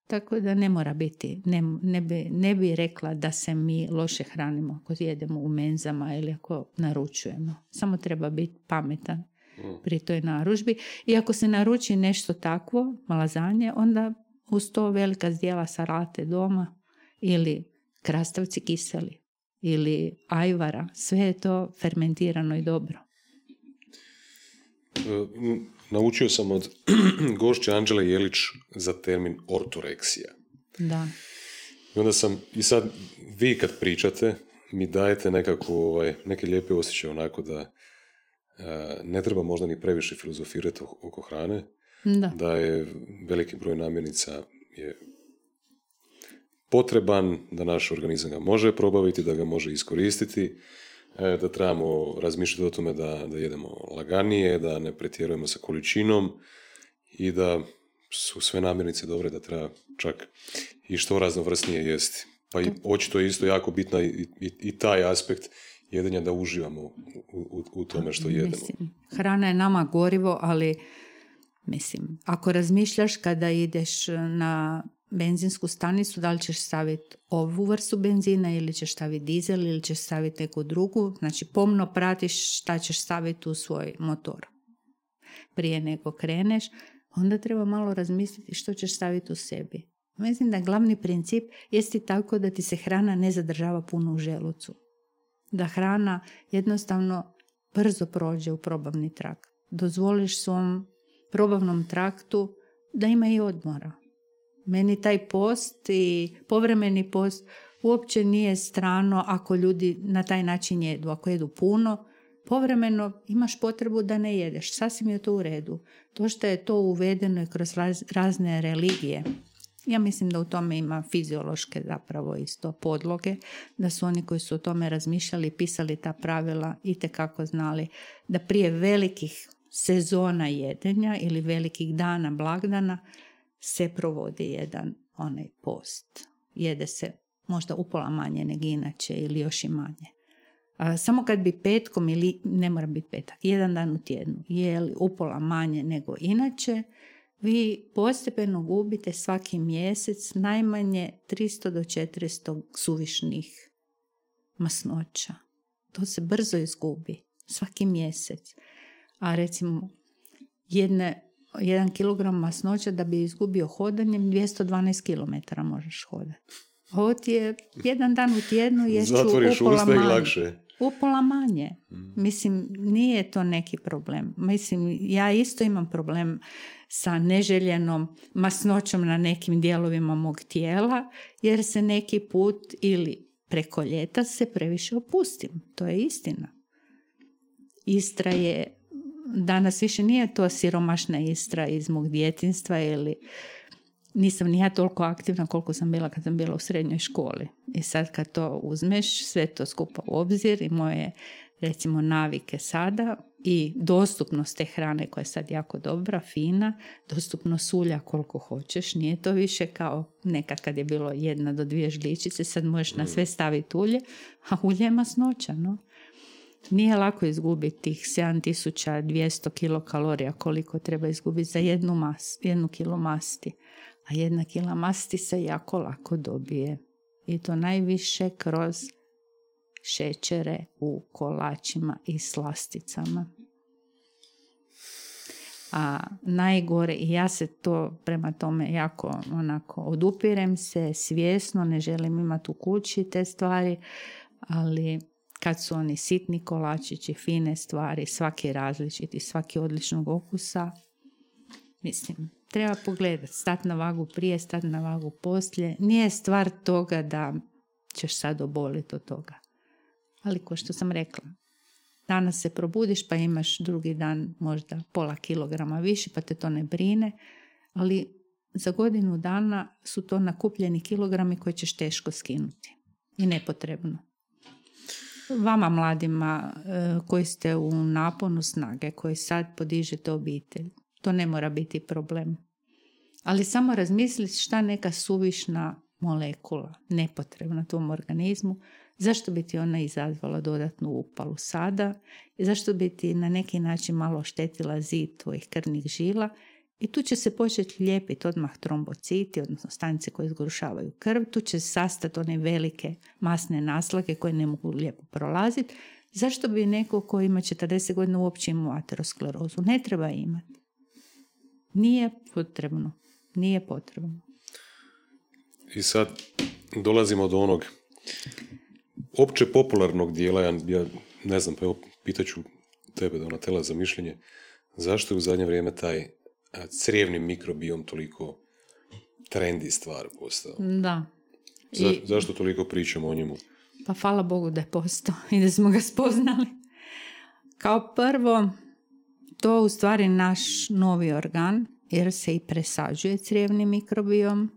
[SPEAKER 1] Tako da ne mora biti, ne, ne, bi, ne bi rekla da se mi loše hranimo ako jedemo u menzama ili ako naručujemo. Samo treba biti pametan pri toj narudžbi. I ako se naruči nešto takvo, lazanje, onda uz to velika zdjela salate doma ili krastavci kiseli ili ajvara. Sve je to fermentirano i dobro.
[SPEAKER 2] Naučio sam od gošće Anđele Jelić za termin ortoreksija.
[SPEAKER 1] Da.
[SPEAKER 2] I onda sam, i sad vi kad pričate, mi dajete nekako, ovaj, neke lijepe osjećaje onako da uh, ne treba možda ni previše filozofirati oko hrane,
[SPEAKER 1] da.
[SPEAKER 2] da je veliki broj namirnica je potreban, da naš organizam ga može probaviti, da ga može iskoristiti, da trebamo razmišljati o tome da, da jedemo laganije, da ne pretjerujemo sa količinom i da su sve namirnice dobre, da treba čak i što raznovrsnije jesti. Pa i očito je isto jako bitna i, i, i taj aspekt jedenja, da uživamo u, u, u tome što jedemo.
[SPEAKER 1] Mislim, hrana je nama gorivo, ali mislim, ako razmišljaš kada ideš na benzinsku stanicu, da li ćeš staviti ovu vrstu benzina ili ćeš staviti dizel ili ćeš staviti neku drugu, znači pomno pratiš šta ćeš staviti u svoj motor prije nego kreneš, onda treba malo razmisliti što ćeš staviti u sebi. Mislim da glavni princip jesti tako da ti se hrana ne zadržava puno u želucu, da hrana jednostavno brzo prođe u probavni trakt, dozvoliš svom probavnom traktu da ima i odmora. Meni taj post i povremeni post uopće nije strano ako ljudi na taj način jedu. Ako jedu puno, povremeno imaš potrebu da ne jedeš. Sasvim je to u redu. To što je to uvedeno i kroz raz, razne religije, ja mislim da u tome ima fiziološke zapravo isto podloge, da su oni koji su o tome razmišljali, pisali ta pravila itekako znali da prije velikih sezona jedenja ili velikih dana, blagdana, se provodi jedan onaj post. Jede se možda upola manje nego inače ili još i manje. A, samo kad bi petkom ili, ne mora biti petak, jedan dan u tjednu, jeli upola manje nego inače, vi postepeno gubite svaki mjesec najmanje tristo do četiristo suvišnih masnoća. To se brzo izgubi, svaki mjesec. A recimo, jedne jedan kilogram masnoća da bi izgubio hodanjem, dvjesto dvanaest kilometara možeš hodati. Ovo ti je jedan dan u tjednu ješću upola manje. Upola manje. Mm. Mislim, nije to neki problem. Mislim, ja isto imam problem sa neželjenom masnoćom na nekim dijelovima mog tijela, jer se neki put ili preko ljeta se previše opustim. To je istina. Istra je danas više nije to siromašna Istra iz mog djetinjstva ili nisam ni ja toliko aktivna koliko sam bila kad sam bila u srednjoj školi. I sad kad to uzmeš, sve to skupa u obzir i moje recimo navike sada i dostupnost te hrane koja je sad jako dobra, fina, dostupnost ulja koliko hoćeš, nije to više kao nekad kad je bilo jedna do dvije žličice, sad možeš na sve staviti ulje, a ulje je masnoća, no. Nije lako izgubiti tih sedam tisuća dvjesto kilokalorija koliko treba izgubiti za jednu, mas, jednu kilo masti. A jedna kila masti se jako lako dobije. I to najviše kroz šećere u kolačima i slasticama. A najgore, i ja se to prema tome jako onako odupirem se, svjesno, ne želim imati u kući te stvari, ali kad su oni sitni kolačići, fine stvari, svaki različiti, svaki odličnog okusa, mislim, treba pogledati, stati na vagu prije, stati na vagu poslije. Nije stvar toga da ćeš sad oboliti od toga. Ali ko što sam rekla, danas se probudiš pa imaš drugi dan možda pola kilograma više pa te to ne brine, ali za godinu dana su to nakupljeni kilogrami koje ćeš teško skinuti i nepotrebno. Vama mladima koji ste u naponu snage, koji sad podižete obitelj, to ne mora biti problem. Ali samo razmisliti šta neka suvišna molekula nepotrebna tom organizmu, zašto bi ti ona izazvala dodatnu upalu sada i zašto bi ti na neki način malo oštetila zid tvojih krvnih žila i tu će se početi lijepiti odmah trombociti, odnosno stanice koje zgrušavaju krv, tu će sastati one velike masne naslage koje ne mogu lijepo prolaziti. Zašto bi neko ko ima četrdeset godina uopće imao aterosklerozu? Ne treba imati. Nije potrebno. Nije potrebno.
[SPEAKER 2] I sad dolazimo do onog opće popularnog dijela, ja, ja ne znam, pa evo pitaću tebe, Donatela, za mišljenje, zašto je u zadnje vrijeme taj a, crijevni mikrobiom toliko trendi stvar postao?
[SPEAKER 1] Da.
[SPEAKER 2] Za,
[SPEAKER 1] I,
[SPEAKER 2] zašto toliko pričamo o njemu?
[SPEAKER 1] Pa hvala Bogu da je postao i da smo ga spoznali. Kao prvo, to u stvari naš novi organ, jer se i presađuje crijevni mikrobiom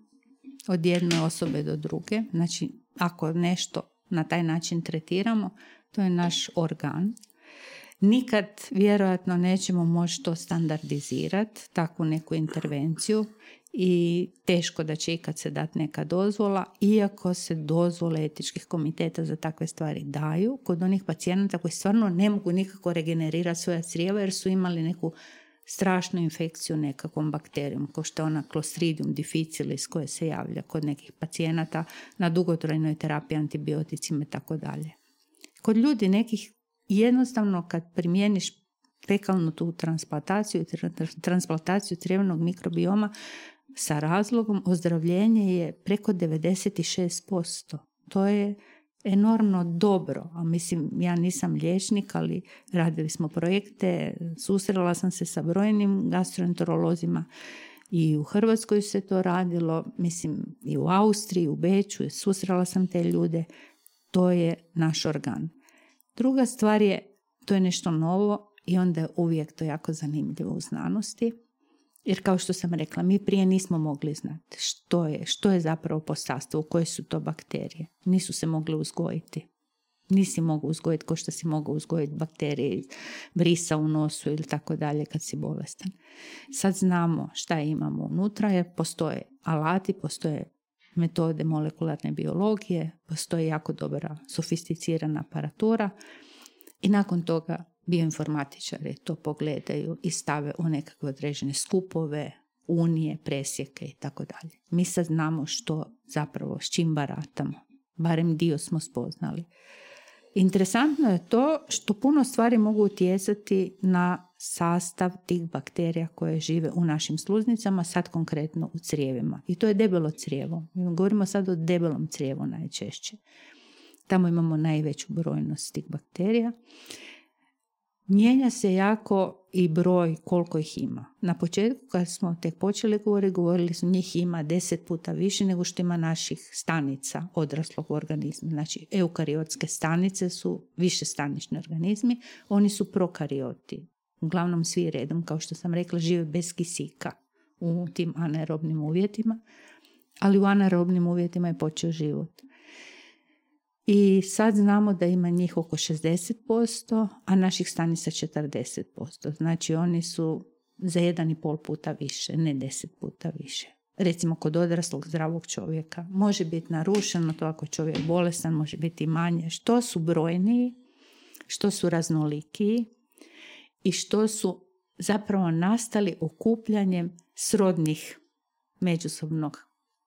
[SPEAKER 1] od jedne osobe do druge. Znači, ako nešto na taj način tretiramo, to je naš organ. Nikad vjerojatno nećemo moći to standardizirati, takvu neku intervenciju, i teško da će ikad se dati neka dozvola, iako se dozvole etičkih komiteta za takve stvari daju kod onih pacijenata koji stvarno ne mogu nikako regenerirati svoja crijeva jer su imali neku strašnu infekciju nekakvom bakterijom, kao što je ona Clostridium difficile iz koje se javlja kod nekih pacijenata na dugotrajnoj terapiji antibioticima i tako dalje. Kod ljudi nekih jednostavno kad primijeniš fekalnu tu transplantaciju, transplantaciju crijevnog mikrobioma sa razlogom, ozdravljenje je preko devedeset šest posto. To je enormno dobro, a mislim, ja nisam liječnik, ali radili smo projekte, susrela sam se sa brojnim gastroenterolozima i u Hrvatskoj se to radilo, mislim i u Austriji, u Beču, susrela sam te ljude, to je naš organ. Druga stvar je, to je nešto novo i onda je uvijek to jako zanimljivo u znanosti, jer kao što sam rekla, mi prije nismo mogli znati što je, što je zapravo po sastavu, koje su to bakterije. Nisu se mogli uzgojiti. Nisi mogao uzgojiti kao što si mogao uzgojiti bakterije iz brisa u nosu ili tako dalje kad si bolestan. Sad znamo šta imamo unutra jer postoje alati, postoje metode molekularne biologije, postoji jako dobra sofisticirana aparatura i nakon toga bioinformatičari to pogledaju i stave u nekakve određene skupove, unije, presjeke i tako dalje. Mi sad znamo što zapravo, s čim baratamo. Barem dio smo spoznali. Interesantno je to što puno stvari mogu utjecati na sastav tih bakterija koje žive u našim sluznicama, sad konkretno u crijevima. I to je debelo crijevo. Mi govorimo sad o debelom crijevu najčešće. Tamo imamo najveću brojnost tih bakterija. Mijenja se jako i broj koliko ih ima. Na početku kad smo tek počeli govoriti, govorili su njih ima deset puta više nego što ima naših stanica odraslog organizma. Znači eukariotske stanice su više stanični organizmi, oni su prokarioti. Uglavnom svi redom, kao što sam rekla, žive bez kisika u tim anaerobnim uvjetima, ali u anaerobnim uvjetima je počeo život. I sad znamo da ima njih oko šezdeset posto, a naših stanica četrdeset posto. Znači oni su za jedan i pol puta više, ne deset puta više. Recimo kod odraslog zdravog čovjeka. Može biti narušeno to ako čovjek je bolestan, može biti manje. Što su brojniji, što su raznolikiji i što su zapravo nastali okupljanjem srodnih međusobnog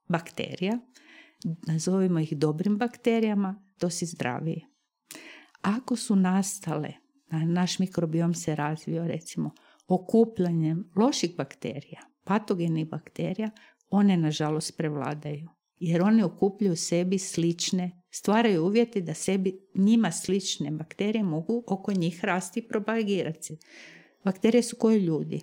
[SPEAKER 1] bakterija, nazovimo ih dobrim bakterijama, to si zdraviji. Ako su nastale, naš mikrobiom se razvio recimo okupljanjem loših bakterija, patogenih bakterija, one nažalost prevladaju. Jer one okupljaju sebi slične, stvaraju uvjeti da sebi njima slične bakterije mogu oko njih rasti i propagirati se. Bakterije su koji ljudi.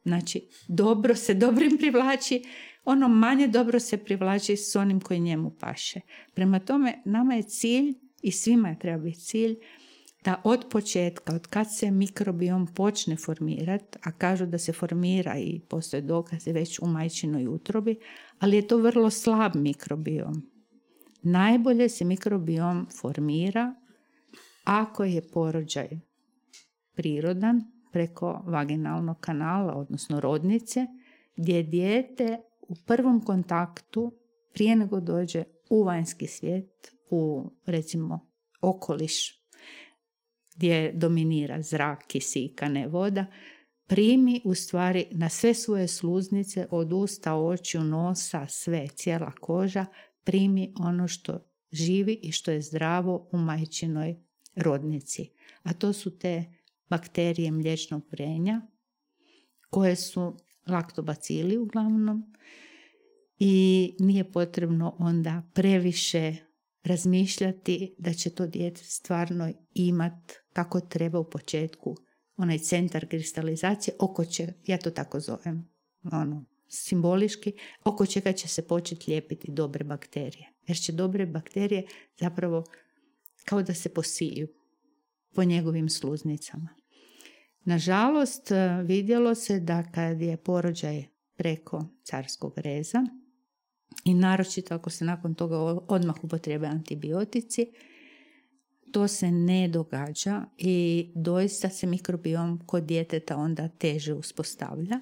[SPEAKER 1] Znači, dobro se dobrim privlači, ono manje dobro se privlači s onim koji njemu paše. Prema tome, nama je cilj i svima je treba biti cilj da od početka, od kad se mikrobiom počne formirati, a kažu da se formira i postoje dokaze već u majčinoj utrobi, ali je to vrlo slab mikrobiom. Najbolje se mikrobiom formira ako je porođaj prirodan preko vaginalnog kanala, odnosno rodnice, gdje dijete u prvom kontaktu, prije nego dođe u vanjski svijet, u recimo okoliš gdje dominira zrak, kisika, ne voda, primi u stvari na sve svoje sluznice, od usta, očiju, nosa, sve, cijela koža, primi ono što živi i što je zdravo u majčinoj rodnici. A to su te bakterije mliječnog vrenja, koje su laktobacili uglavnom, i nije potrebno onda previše razmišljati da će to dijete stvarno imat kako treba u početku onaj centar kristalizacije oko čega, ja to tako zovem, ono, simbolički, oko čega će se početi lijepiti dobre bakterije. Jer će dobre bakterije zapravo kao da se posiju po njegovim sluznicama. Nažalost, vidjelo se da kad je porođaj preko carskog reza i naročito ako se nakon toga odmah upotrijebe antibiotici, to se ne događa i doista se mikrobiom kod djeteta onda teže uspostavlja.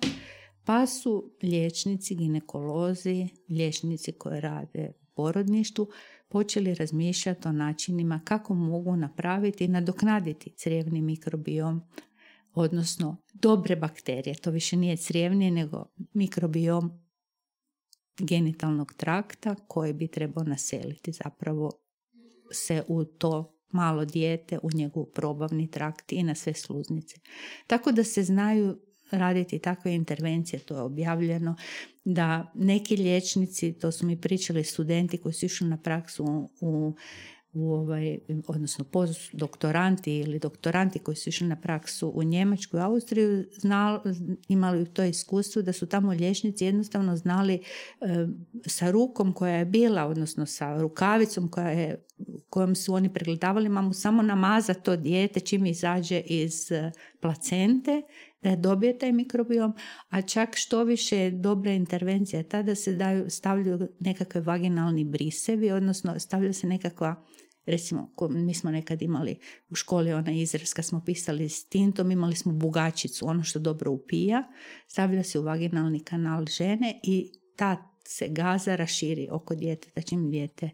[SPEAKER 1] Pa su liječnici, ginekolozi, liječnici koji rade u porodništvu počeli razmišljati o načinima kako mogu napraviti i nadoknaditi crijevni mikrobiom, odnosno dobre bakterije. To više nije crijevni, nego mikrobiom genitalnog trakta koji bi trebao naseliti zapravo se u to malo dijete, u njegov probavni trakt i na sve sluznice. Tako da se znaju raditi takve intervencije, to je objavljeno, da neki liječnici, to su mi pričali studenti koji su išli na praksu u, u ovaj, odnosno postdoktoranti ili doktoranti koji su išli na praksu u Njemačku i Austriju, znali, imali to iskustvo da su tamo liječnici jednostavno znali e, sa rukom koja je bila, odnosno sa rukavicom koja je, kojom su oni pregledavali mamu, samo namazati to dijete čim izađe iz placente, da dobije taj mikrobiom, a čak što više je dobra intervencija, tada se daju, stavljaju nekakve vaginalni brisevi, odnosno stavlja se nekakva, recimo, mi smo nekad imali u školi onaj izraz kad smo pisali s tintom, imali smo bugačicu, ono što dobro upija, stavlja se u vaginalni kanal žene i ta se gaza raširi oko djeteta čim dijete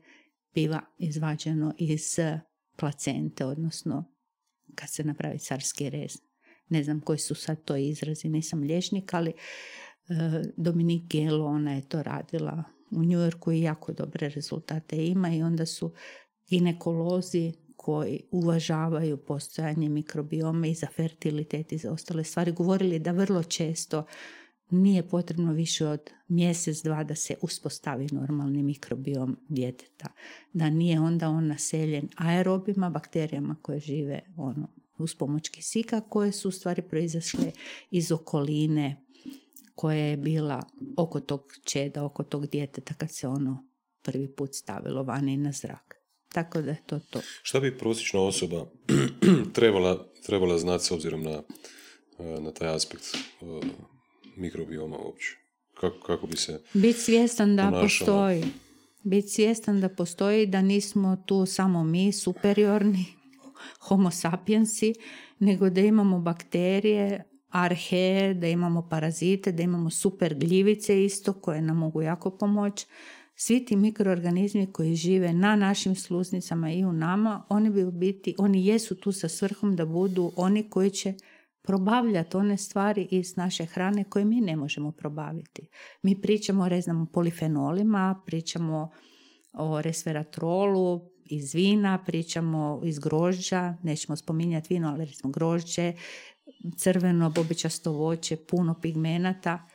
[SPEAKER 1] biva izvađeno iz placente, odnosno kad se napravi carski rez. Ne znam koji su sad to izrazi, nisam liječnik, ali e, Dominique Gelo, ona je to radila u New Yorku i jako dobre rezultate ima i onda su ginekolozi koji uvažavaju postojanje mikrobiome i za fertilitet i za ostale stvari govorili da vrlo često nije potrebno više od mjesec, dva da se uspostavi normalni mikrobiom djeteta. Da nije onda on naseljen aerobima, bakterijama koje žive ono, uz pomoć kisika, koje su u stvari proizašle iz okoline koja je bila oko tog čeda, oko tog djeteta kad se ono prvi put stavilo vani na zrak. Tako da je to to.
[SPEAKER 2] Šta bi prosječna osoba trebala, trebala znati s obzirom na, na taj aspekt uh, mikrobioma uopće? Kako, kako bi se
[SPEAKER 1] biti svjestan da
[SPEAKER 2] ponašala?
[SPEAKER 1] postoji. Biti svjestan da postoji, da nismo tu samo mi superiorni homo sapiensi, nego da imamo bakterije, arhe, da imamo parazite, da imamo super gljivice isto koje nam mogu jako pomoći. Svi ti mikroorganizmi koji žive na našim sluznicama i u nama, oni bi u biti, oni jesu tu sa svrhom da budu oni koji će probavljati one stvari iz naše hrane koje mi ne možemo probaviti. Mi pričamo, ne znam, o polifenolima, pričamo o resveratrolu iz vina, pričamo iz grožđa, nećemo spominjati vino, ali recimo grožđe, crveno, bobičasto voće, puno pigmenata.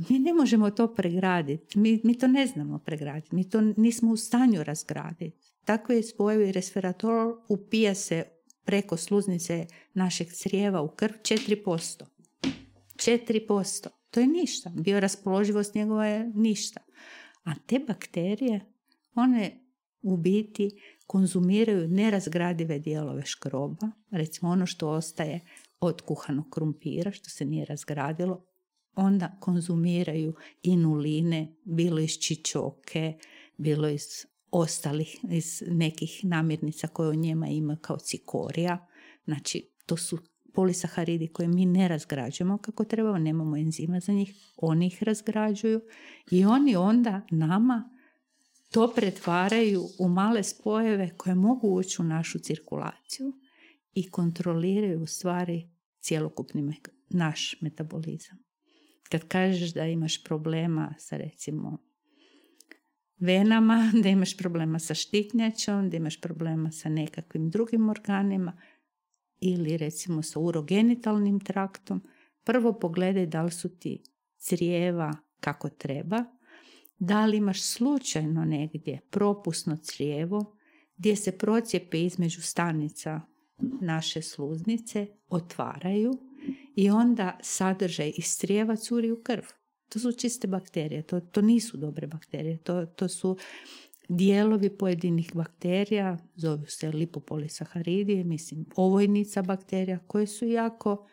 [SPEAKER 1] Mi ne možemo to pregraditi, mi, mi to ne znamo pregraditi, mi to nismo u stanju razgraditi. Takve spojevi resveratrol upija se preko sluznice našeg crijeva u krv četiri posto. četiri posto. To je ništa. Bioraspoloživost njegova je ništa. A te bakterije, one u biti konzumiraju nerazgradive dijelove škroba, recimo ono što ostaje od kuhanog krumpira, što se nije razgradilo, onda konzumiraju inuline, bilo iz čičoke, bilo iz ostalih, iz nekih namirnica koje u njima ima kao cikorija. Znači, to su polisaharidi koje mi ne razgrađujemo kako treba, nemamo enzima za njih, oni ih razgrađuju i oni onda nama to pretvaraju u male spojeve koje mogu ući u našu cirkulaciju i kontroliraju u stvari cjelokupni me- naš metabolizam. Kad kažeš da imaš problema sa recimo venama, da imaš problema sa štitnjačom, da imaš problema sa nekakvim drugim organima ili recimo sa urogenitalnim traktom, prvo pogledaj da li su ti crijeva kako treba, da li imaš slučajno negdje propusno crijevo gdje se procijepe između stanica naše sluznice otvaraju i onda sadržaj iz crijeva curi u krv. To su čiste bakterije, to, to nisu dobre bakterije, to, to su dijelovi pojedinih bakterija, zovu se lipopolisaharidi, mislim ovojnica bakterija koje su jako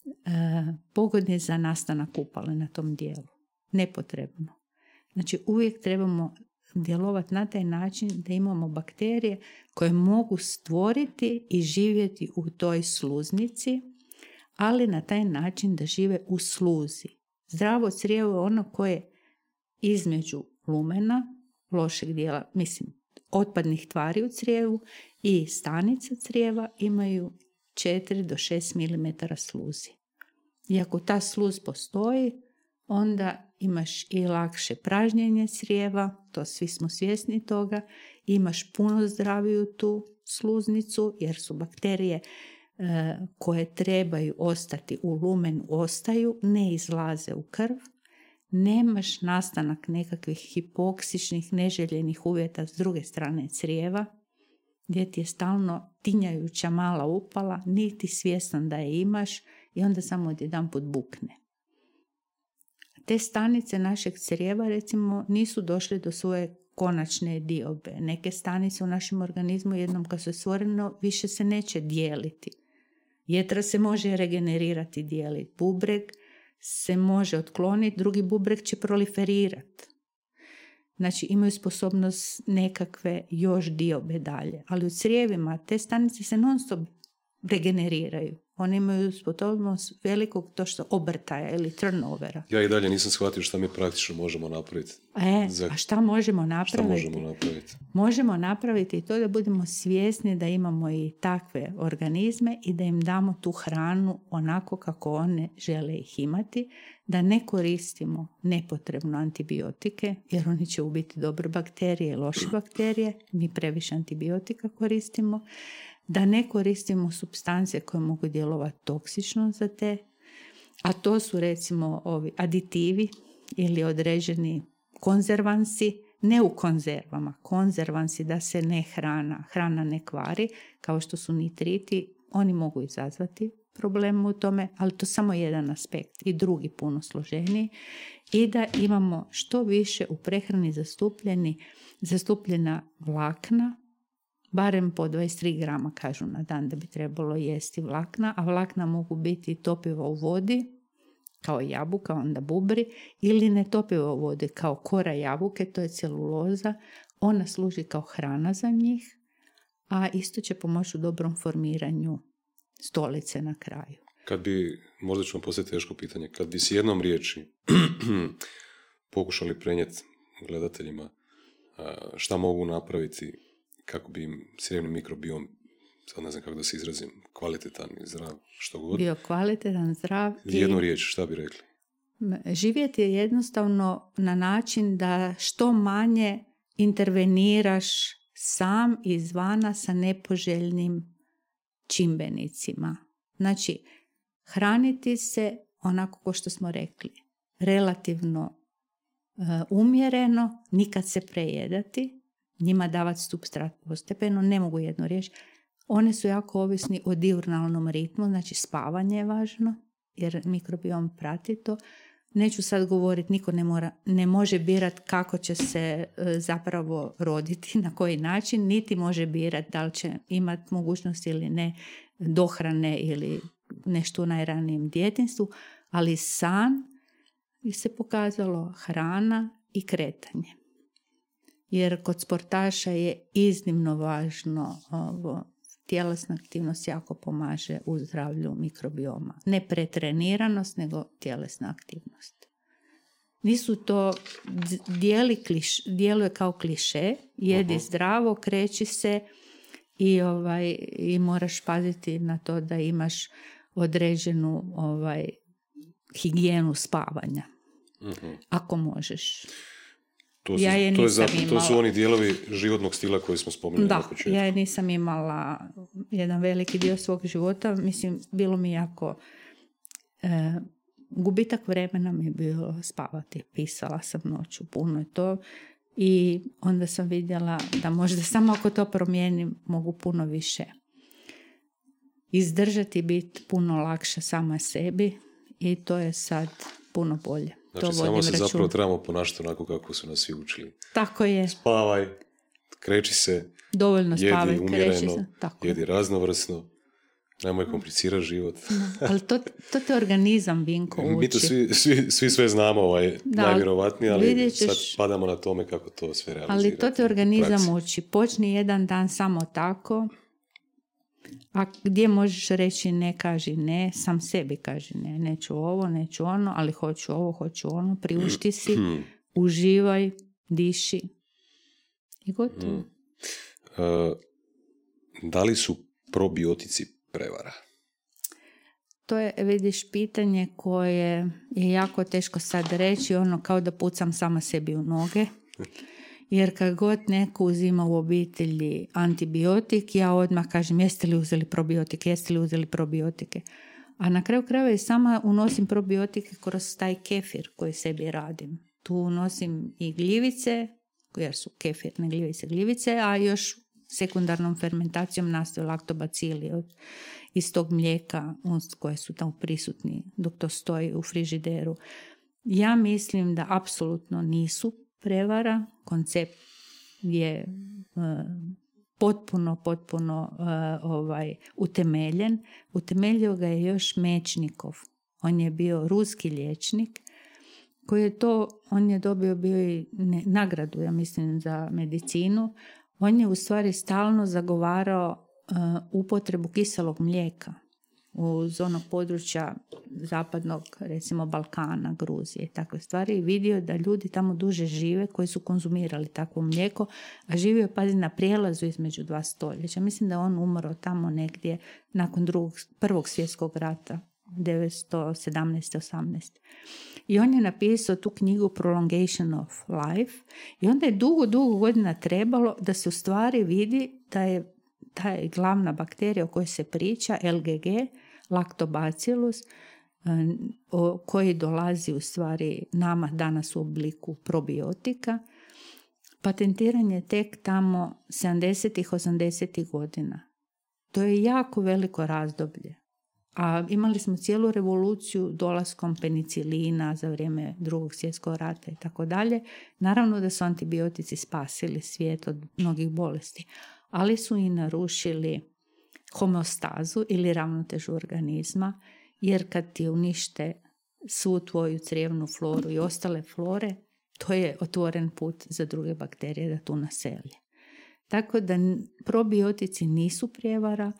[SPEAKER 1] e, pogodne za nastanak upale na tom dijelu. Nepotrebno. Znači uvijek trebamo djelovati na taj način da imamo bakterije koje mogu stvoriti i živjeti u toj sluznici, ali na taj način da žive u sluzi. Zdravo crijevo je ono koje između lumena, lošeg dijela, mislim, otpadnih tvari u crijevu i stanica crijeva imaju četiri do šest milimetara sluzi. I ako ta sluz postoji, onda imaš i lakše pražnjenje crijeva, to svi smo svjesni toga, imaš puno zdraviju tu sluznicu jer su bakterije e, koje trebaju ostati u lumenu ostaju, ne izlaze u krv, nemaš nastanak nekakvih hipoksičnih, neželjenih uvjeta s druge strane crijeva, gdje ti je stalno tinjajuća mala upala, niti svjestan da je imaš i onda samo odjedanput bukne. Te stanice našeg crijeva recimo nisu došle do svoje konačne diobe. Neke stanice u našem organizmu jednom kad su stvoreno više se neće dijeliti. Jetra se može regenerirati, dijeliti. Bubreg se može otkloniti, drugi bubreg će proliferirati. Znači imaju sposobnost nekakve još diobe dalje. Ali u crijevima te stanice se non stop regeneriraju. Oni imaju sposobnost velikog to što obrtaja ili turnovera.
[SPEAKER 2] Ja i dalje nisam shvatio šta mi praktično možemo napraviti.
[SPEAKER 1] E,
[SPEAKER 2] Za...
[SPEAKER 1] a šta možemo napraviti?
[SPEAKER 2] Šta možemo napraviti?
[SPEAKER 1] Možemo napraviti to da budemo svjesni da imamo i takve organizme i da im damo tu hranu onako kako one žele ih imati, da ne koristimo nepotrebno antibiotike, jer oni će ubiti dobre bakterije i loše bakterije, mi previše antibiotika koristimo, da ne koristimo supstance koje mogu djelovati toksično za te, a to su recimo ovi aditivi ili određeni konzervansi, ne u konzervama, konzervansi da se ne hrana, hrana ne kvari, kao što su nitriti, oni mogu izazvati problem u tome, ali to samo jedan aspekt i drugi puno složeniji, i da imamo što više u prehrani zastupljeni, zastupljena vlakna, barem po dvadeset tri grama kažu na dan da bi trebalo jesti vlakna, a vlakna mogu biti topiva u vodi, kao jabuka, onda bubri, ili ne topiva u vodi, kao kora jabuke, to je celuloza, ona služi kao hrana za njih, a isto će pomoći u dobrom formiranju stolice na kraju.
[SPEAKER 2] Kad bi, možda ću vam postaviti teško pitanje, kad bi s jednom riječi pokušali prenijeti gledateljima šta mogu napraviti kako bi im crijevni mikrobiom, sad ne znam kako da se izrazim, kvalitetan i zdrav, što god.
[SPEAKER 1] Bio kvalitetan, zdrav.
[SPEAKER 2] Jednu
[SPEAKER 1] i...
[SPEAKER 2] riječ, šta bi rekli?
[SPEAKER 1] Živjeti je jednostavno na način da što manje interveniraš sam izvana sa nepoželjnim čimbenicima. Znači, hraniti se onako kao što smo rekli, relativno uh, umjereno, nikad se prejedati, njima davati supstrat postepeno, ne mogu jednu riječ. One su jako ovisni o diurnalnom ritmu, znači spavanje je važno. jer mikrobiom prati to. Neću sad govoriti, niko ne, mora, ne može birati kako će se e, zapravo roditi, na koji način, niti može birati da li će imati mogućnost ili ne dohrane ili nešto u najranijem djetinjstvu, ali san se pokazalo hrana i kretanje. Jer kod sportaša je iznimno važno ovo, tjelesna aktivnost jako pomaže u zdravlju mikrobioma. Ne pretreniranost, nego tjelesna aktivnost. Nisu to, dijeli kliš, djeluje kao kliše, jedi uh-huh. zdravo, kreći se i, ovaj, i moraš paziti na to da imaš određenu ovaj, higijenu spavanja. Uh-huh. Ako možeš.
[SPEAKER 2] To su, ja je to, je za, to su oni dijelovi životnog stila koji smo spomenuli
[SPEAKER 1] da,
[SPEAKER 2] na početku.
[SPEAKER 1] Ja je nisam imala jedan veliki dio svog života. Mislim, bilo mi jako... E, gubitak vremena mi je bilo spavati. Pisala sam noću puno i to. I onda sam vidjela da možda samo ako to promijenim mogu puno više izdržati, biti puno lakše sama sebi i to je sad puno bolje.
[SPEAKER 2] Znači,
[SPEAKER 1] to
[SPEAKER 2] samo se
[SPEAKER 1] račun.
[SPEAKER 2] zapravo trebamo ponašati onako kako su nas svi učili.
[SPEAKER 1] Tako je.
[SPEAKER 2] Spavaj, kreći se,
[SPEAKER 1] dovoljno
[SPEAKER 2] jedi
[SPEAKER 1] spavaj,
[SPEAKER 2] umjereno,
[SPEAKER 1] se. Tako
[SPEAKER 2] jedi raznovrsno, nemoj komplicirati život.
[SPEAKER 1] No, ali to, to te organizam, Vinko, uči.
[SPEAKER 2] Mi to svi, svi, svi sve znamo, ovaj, da, najvjerovatnije, ali ćeš, sad padamo na tome kako to sve realizirati.
[SPEAKER 1] Ali to te organizam uči. Počni jedan dan samo tako, a gdje možeš reći ne, kaži ne, sam sebi kaži ne, neću ovo, neću ono, ali hoću ovo, hoću ono, priušti si, uživaj, diši i gotovo. Mm.
[SPEAKER 2] Uh, da li su probiotici prevara?
[SPEAKER 1] To je, vidiš, pitanje koje je jako teško sad reći, ono kao da pucam sama sebi u noge. Jer kad god neko uzima u obitelji antibiotik, ja odmah kažem jeste li uzeli probiotike, jeste li uzeli probiotike. A na kraju krajeva i sama unosim probiotike kroz taj kefir koji sebi radim. Tu unosim i gljivice, jer su kefirne gljivice gljivice, a još sekundarnom fermentacijom nastaju laktobacili od, iz tog mlijeka koje su tamo prisutni dok to stoji u frižideru. Ja mislim da apsolutno nisu prevara, koncept je uh, potpuno, potpuno uh, ovaj, utemeljen. Utemeljio ga je još Mečnikov. On je bio ruski liječnik koji je to, on je dobio bio i ne, nagradu, ja mislim, za medicinu. On je u stvari stalno zagovarao uh, upotrebu kiselog mlijeka uz onog područja zapadnog, recimo Balkana, Gruzije i takve stvari, i vidio da ljudi tamo duže žive koji su konzumirali takvo mlijeko, a živio je, pazi, na prijelazu između dva stoljeća. Mislim da on umro tamo negdje nakon drugog, prvog svjetskog rata, devetsto sedamnaest osamnaest. I on je napisao tu knjigu Prolongation of Life i onda je dugo, dugo godina trebalo da se u stvari vidi da je ta je glavna bakterija o kojoj se priča, L G G, Lactobacillus, koji dolazi u stvari nama danas u obliku probiotika. Patentiran je tek tamo sedamdesetih, osamdesetih godina. To je jako veliko razdoblje. A imali smo cijelu revoluciju dolaskom penicilina za vrijeme drugog svjetskog rata i tako dalje. Naravno da su antibiotici spasili svijet od mnogih bolesti, ali su i narušili homeostazu ili ravnotežu organizma, jer kad ti unište svu tvoju crijevnu floru i ostale flore, to je otvoren put za druge bakterije da tu naselje. Tako da probiotici nisu prijevara,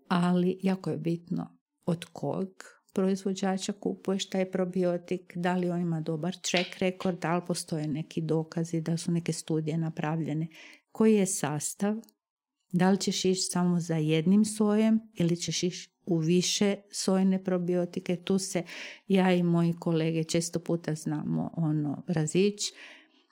[SPEAKER 1] ali jako je bitno od kog proizvođača kupuješ taj probiotik, da li on ima dobar track record, da li postoje neki dokazi, da su neke studije napravljene, koji je sastav, da li ćeš ići samo za jednim sojem ili ćeš ići u više sojne probiotike. Tu se ja i moji kolege često puta znamo ono razići.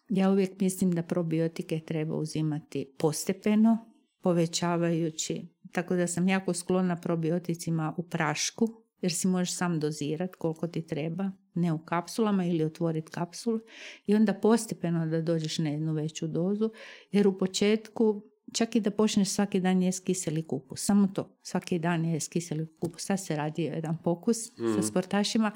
[SPEAKER 1] Ja uvijek mislim da probiotike treba uzimati postepeno, povećavajući, tako da sam jako sklona probioticima u prašku, jer si možeš sam dozirati koliko ti treba, ne u kapsulama ili otvoriti kapsulu i onda postepeno da dođeš na jednu veću dozu, jer u početku čak i da počneš svaki dan jesti kiseli kupus, samo to, svaki dan jesti kiseli kupus. Sad se radi jedan pokus mm. sa sportašima.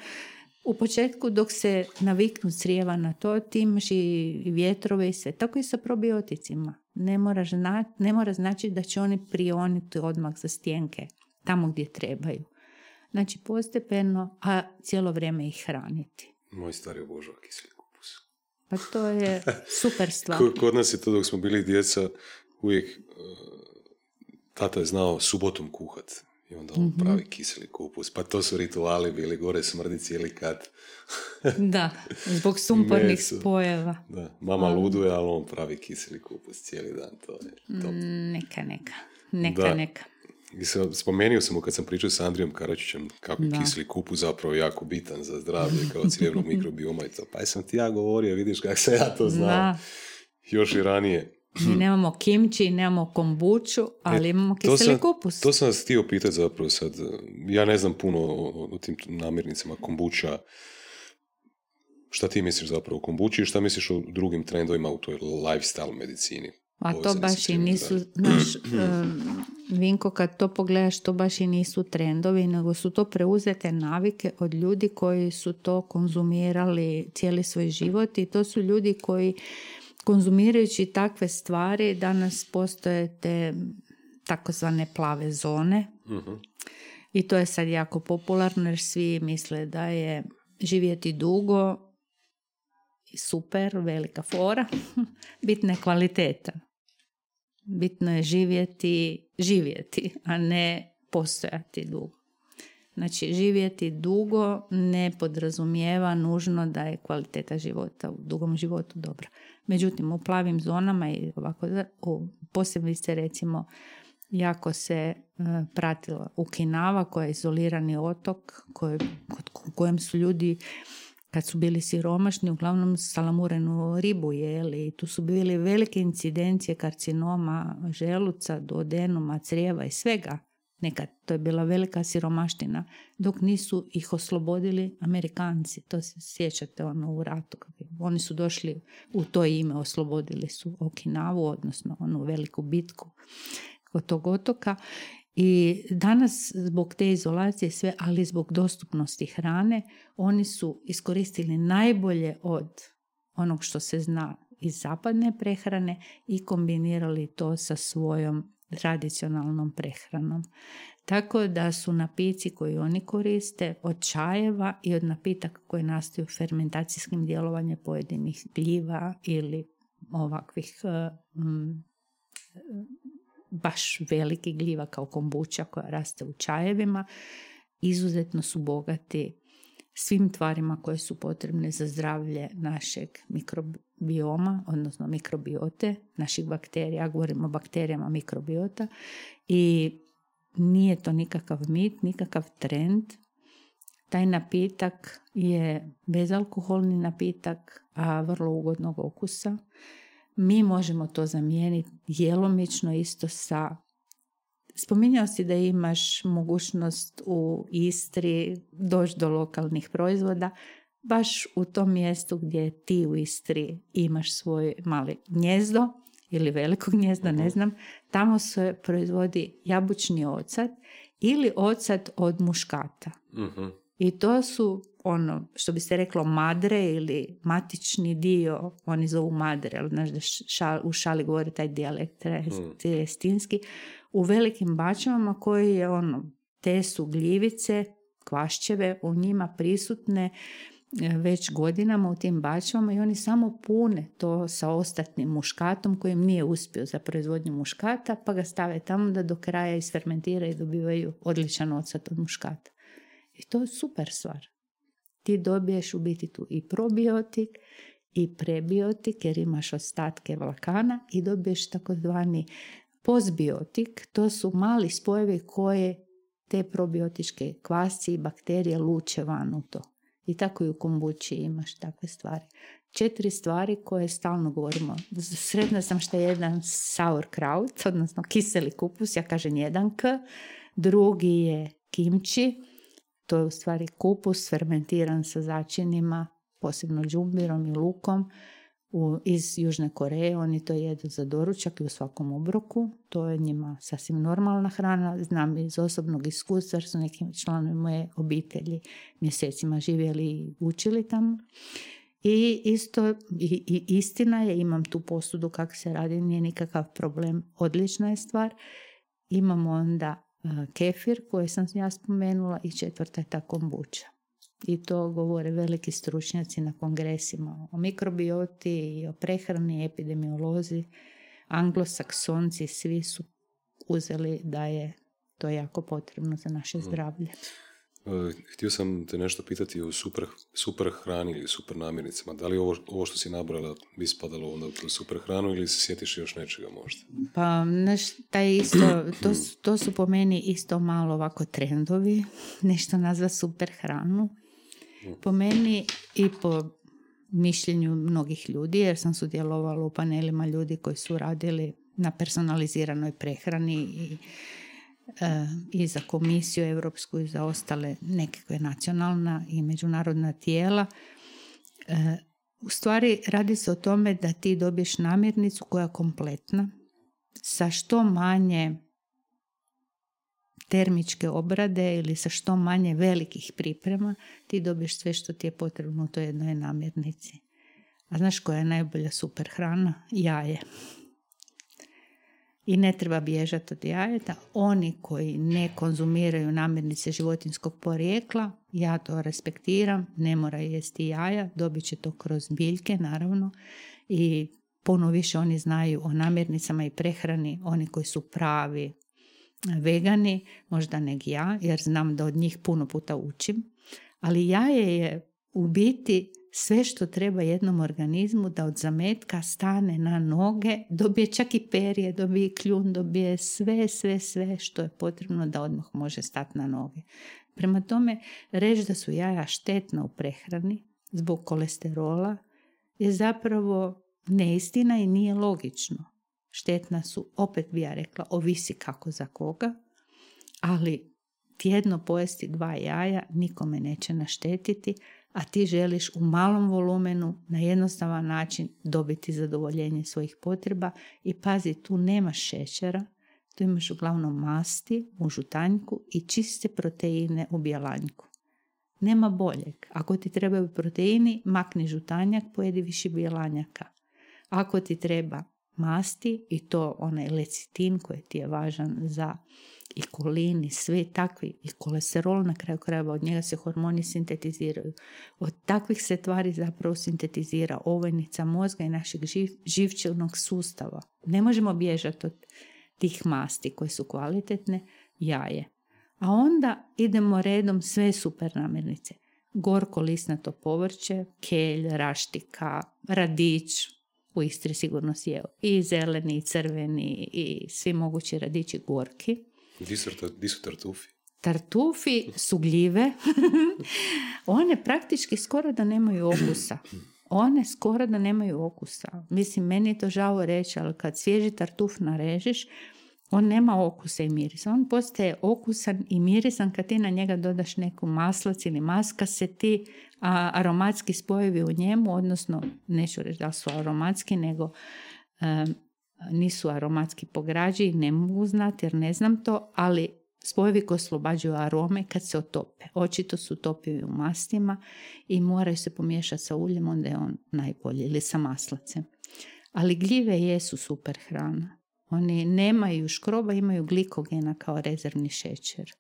[SPEAKER 1] U početku dok se naviknu crijeva na to, ti imaš i vjetrove i sve. Tako i sa probioticima. Ne mora, zna, ne mora znači da će oni prioniti odmah za stjenke, tamo gdje trebaju. Znači postepeno, a cijelo vrijeme ih hraniti.
[SPEAKER 2] Moj stari obožava kiseli kupus.
[SPEAKER 1] Pa to je super stvar.
[SPEAKER 2] Kod nas je to dok smo bili djeca, uvijek tata je znao subotom kuhat. I onda on pravi mm-hmm. kiseli kupus. Pa to su rituali bili, gore smrdi cijeli kat.
[SPEAKER 1] Da, zbog sumpornih Meso. spojeva.
[SPEAKER 2] Da, mama um. luduje, ali on pravi kiseli kupus cijeli dan. To je top.
[SPEAKER 1] Neka, neka. Neka,
[SPEAKER 2] da.
[SPEAKER 1] neka.
[SPEAKER 2] I sam, spomenuo sam mu kad sam pričao s Andrijom Karačićem kako je kiseli kupus zapravo jako bitan za zdravlje kao crijevnog mikrobioma i to. Pa sam ti ja govorio, vidiš kako sam ja to znao. Da. Još i ranije.
[SPEAKER 1] Mi nemamo kimči, nemamo kombuču, ali e, imamo kiseli
[SPEAKER 2] sam,
[SPEAKER 1] kupus.
[SPEAKER 2] To sam vas htio pitati zapravo sad. Ja ne znam puno o, o tim namirnicama kombuča. Šta ti misliš zapravo o kombuči i šta misliš o drugim trendovima u toj lifestyle medicini?
[SPEAKER 1] A to baš i nisu, znaš, um, Vinko, kad to pogledaš, to baš i nisu trendovi, nego su to preuzete navike od ljudi koji su to konzumirali cijeli svoj život i to su ljudi koji konzumirajući takve stvari, danas postoje te takozvane plave zone. Uh-huh. I to je sad jako popularno jer svi misle da je živjeti dugo super, velika fora. Bitna je kvaliteta. Bitno je živjeti, živjeti, a ne postojati dugo. Znači, živjeti dugo ne podrazumijeva nužno da je kvaliteta života u dugom životu dobra. Međutim, u plavim zonama i ovako, u posebice recimo, jako se uh, pratila Ukinava, koja je izolirani otok, koje, kod kojem su ljudi, kad su bili siromašni, uglavnom salamurenu ribu jeli. Tu su bili velike incidencije karcinoma želuca, duodenuma, crijeva i svega. Nekad to je bila velika siromaština, dok nisu ih oslobodili Amerikanci. To se sjećate ono u ratu. Oni su došli u to ime, oslobodili su Okinavu, odnosno onu veliku bitku kod tog otoka. I danas zbog te izolacije sve, ali zbog dostupnosti hrane, oni su iskoristili najbolje od onog što se zna iz zapadne prehrane i kombinirali to sa svojom tradicionalnom prehranom. Tako da su napici koji oni koriste od čajeva i od napitaka koji nastaju fermentacijskim djelovanjem pojedinih gljiva ili ovakvih um, baš velikih gljiva kao kombuča koja raste u čajevima, izuzetno su bogati svim tvarima koje su potrebne za zdravlje našeg mikrobioma, odnosno mikrobiote, naših bakterija, govorimo o bakterijama mikrobiota, i nije to nikakav mit, nikakav trend. Taj napitak je bezalkoholni napitak, a vrlo ugodnog okusa. Mi možemo to zamijeniti djelomično isto sa... Spominjao si da imaš mogućnost u Istri doći do lokalnih proizvoda. Baš u tom mjestu gdje ti u Istri imaš svoj mali gnjezdo ili veliko gnjezdo, ne znam, tamo se proizvodi jabučni ocat ili ocat od muškata. Uh-huh. I to su ono što bi se reklo madre ili matični dio, oni zovu madre, ali znaš da šal, u šali govori taj dijalekt estinski, u velikim bačvama koji je ono, te su gljivice, kvašćeve, u njima prisutne već godinama u tim bačvama i oni samo pune to sa ostatnim muškatom kojim nije uspio za proizvodnju muškata, pa ga stave tamo da do kraja isfermentira i dobivaju odličan ocat od muškata. I to je super stvar. Ti dobiješ u biti tu i probiotik i prebiotik jer imaš ostatke vlakana i dobiješ takozvani postbiotik. To su mali spojevi koje te probiotičke kvasci i bakterije luče van u to. I tako i u kombuči imaš takve stvari. Četiri stvari koje stalno govorimo. Sretna sam što je jedan sauerkraut, odnosno kiseli kupus, ja kažem jedan k. Drugi je kimči. To je u stvari kupus fermentiran sa začinima, posebno đumbirom i lukom, u, iz Južne Koreje. Oni to jedu za doručak i u svakom obroku. To je njima sasvim normalna hrana. Znam iz osobnog iskustva jer su neki članovi moje obitelji mjesecima živjeli i učili tamo. I isto, i, i istina je, imam tu posudu kako se radi, nije nikakav problem, odlična je stvar. Imamo onda uh, kefir koji sam ja spomenula i četvrta je ta kombuča. I to govore veliki stručnjaci na kongresima o mikrobioti i o prehrani, epidemiolozi, anglosaksonci, svi su uzeli da je to jako potrebno za naše zdravlje.
[SPEAKER 2] Htio sam te nešto pitati o super, super hrani ili super namirnicama. Da li ovo, ovo što si nabrala bi spadalo onda u super hranu ili se sjetiš još nečega možda?
[SPEAKER 1] Pa, znaš, taj isto, to, su, to su po meni isto malo ovako trendovi, nešto nazva super hranu. Po meni i po mišljenju mnogih ljudi, jer sam sudjelovala u panelima ljudi koji su radili na personaliziranoj prehrani i i za komisiju europsku i za ostale nekakve nacionalna i međunarodna tijela. U stvari radi se o tome da ti dobiješ namirnicu koja je kompletna, sa što manje termičke obrade ili sa što manje velikih priprema, ti dobiješ sve što ti je potrebno u toj jednoj namirnici. A znaš koja je najbolja super hrana? Jaje. I ne treba bježati od jajeta. Oni koji ne konzumiraju namirnice životinjskog porijekla, ja to respektiram, ne mora jesti jaja, dobit će to kroz biljke, naravno, i puno više oni znaju o namirnicama i prehrani, oni koji su pravi vegani, možda nego ja, jer znam da od njih puno puta učim, ali jaje je u biti sve što treba jednom organizmu da od zametka stane na noge, dobije čak i perje, dobije kljun, dobije sve, sve, sve što je potrebno da odmah može stati na noge. Prema tome, reći da su jaja štetna u prehrani zbog kolesterola je zapravo neistina i nije logično. Štetna su, opet bi ja rekla, ovisi kako za koga, ali tjedno pojesti dva jaja nikome neće naštetiti, a ti želiš u malom volumenu na jednostavan način dobiti zadovoljenje svojih potreba i pazi, tu nemaš šećera, tu imaš uglavnom masti u žutanjku i čiste proteine u bjelanjku. Nema boljeg. Ako ti trebaju proteini, makni žutanjak, pojedi više bjelanjaka. Ako ti treba masti, i to onaj lecitin koji ti je važan za i kolin i sve takvi, i kolesterol na kraju krajeva, od njega se hormoni sintetiziraju. Od takvih se tvari zapravo sintetizira ovojnica mozga i našeg živ, živčevnog sustava. Ne možemo bježati od tih masti koje su kvalitetne, jaje. A onda idemo redom sve super namirnice. Gorko lisnato povrće, kelj, raštika, radić, u Istri sigurno si jeo, i zeleni, i crveni, i svi mogući radići gorki.
[SPEAKER 2] Di su, di su tartufi?
[SPEAKER 1] Tartufi su gljive. One praktički skoro da nemaju okusa. One skoro da nemaju okusa. Mislim, meni je to žao reći, ali kad svježi tartuf narežeš, on nema okusa i mirisa. On postaje okusan i mirisan kad ti na njega dodaš neku maslac ili maska, se ti a, aromatski spojevi u njemu, odnosno neću reći da su aromatski, nego um, nisu aromatski po građi, ne mogu znati jer ne znam to, ali spojevi koji oslobađaju arome kad se otope. Očito su topivi u mastima i moraju se pomiješati sa uljem, onda je on najbolji, ili sa maslacem. Ali gljive jesu super hrana. Oni nemaju škroba, imaju glikogena kao rezervni šećer.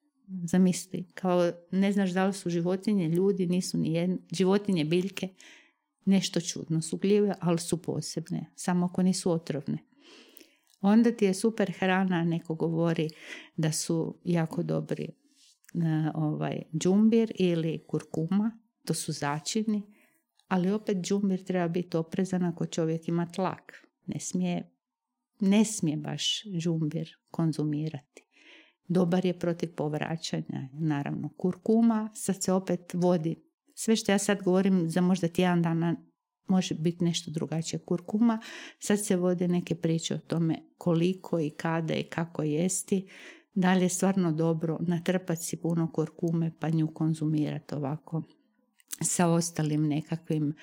[SPEAKER 1] Zamisli, kao ne znaš da li su životinje, ljudi, nisu ni jedne, životinje, biljke, nešto čudno su gljive, ali su posebne, samo ako nisu otrovne. Onda ti je super hrana, neko govori da su jako dobri ovaj, džumbir ili kurkuma, to su začini, ali opet džumbir treba biti oprezan ako čovjek ima tlak. Ne smije, ne smije baš džumbir konzumirati. Dobar je protiv povraćanja, naravno. Kurkuma sad se opet vodi, sve što ja sad govorim za možda tjedan dana može biti nešto drugačije. Kurkuma, sad se vode neke priče o tome koliko i kada i kako jesti. Da li je stvarno dobro natrpati si puno kurkume pa nju konzumirati ovako sa ostalim nekakvim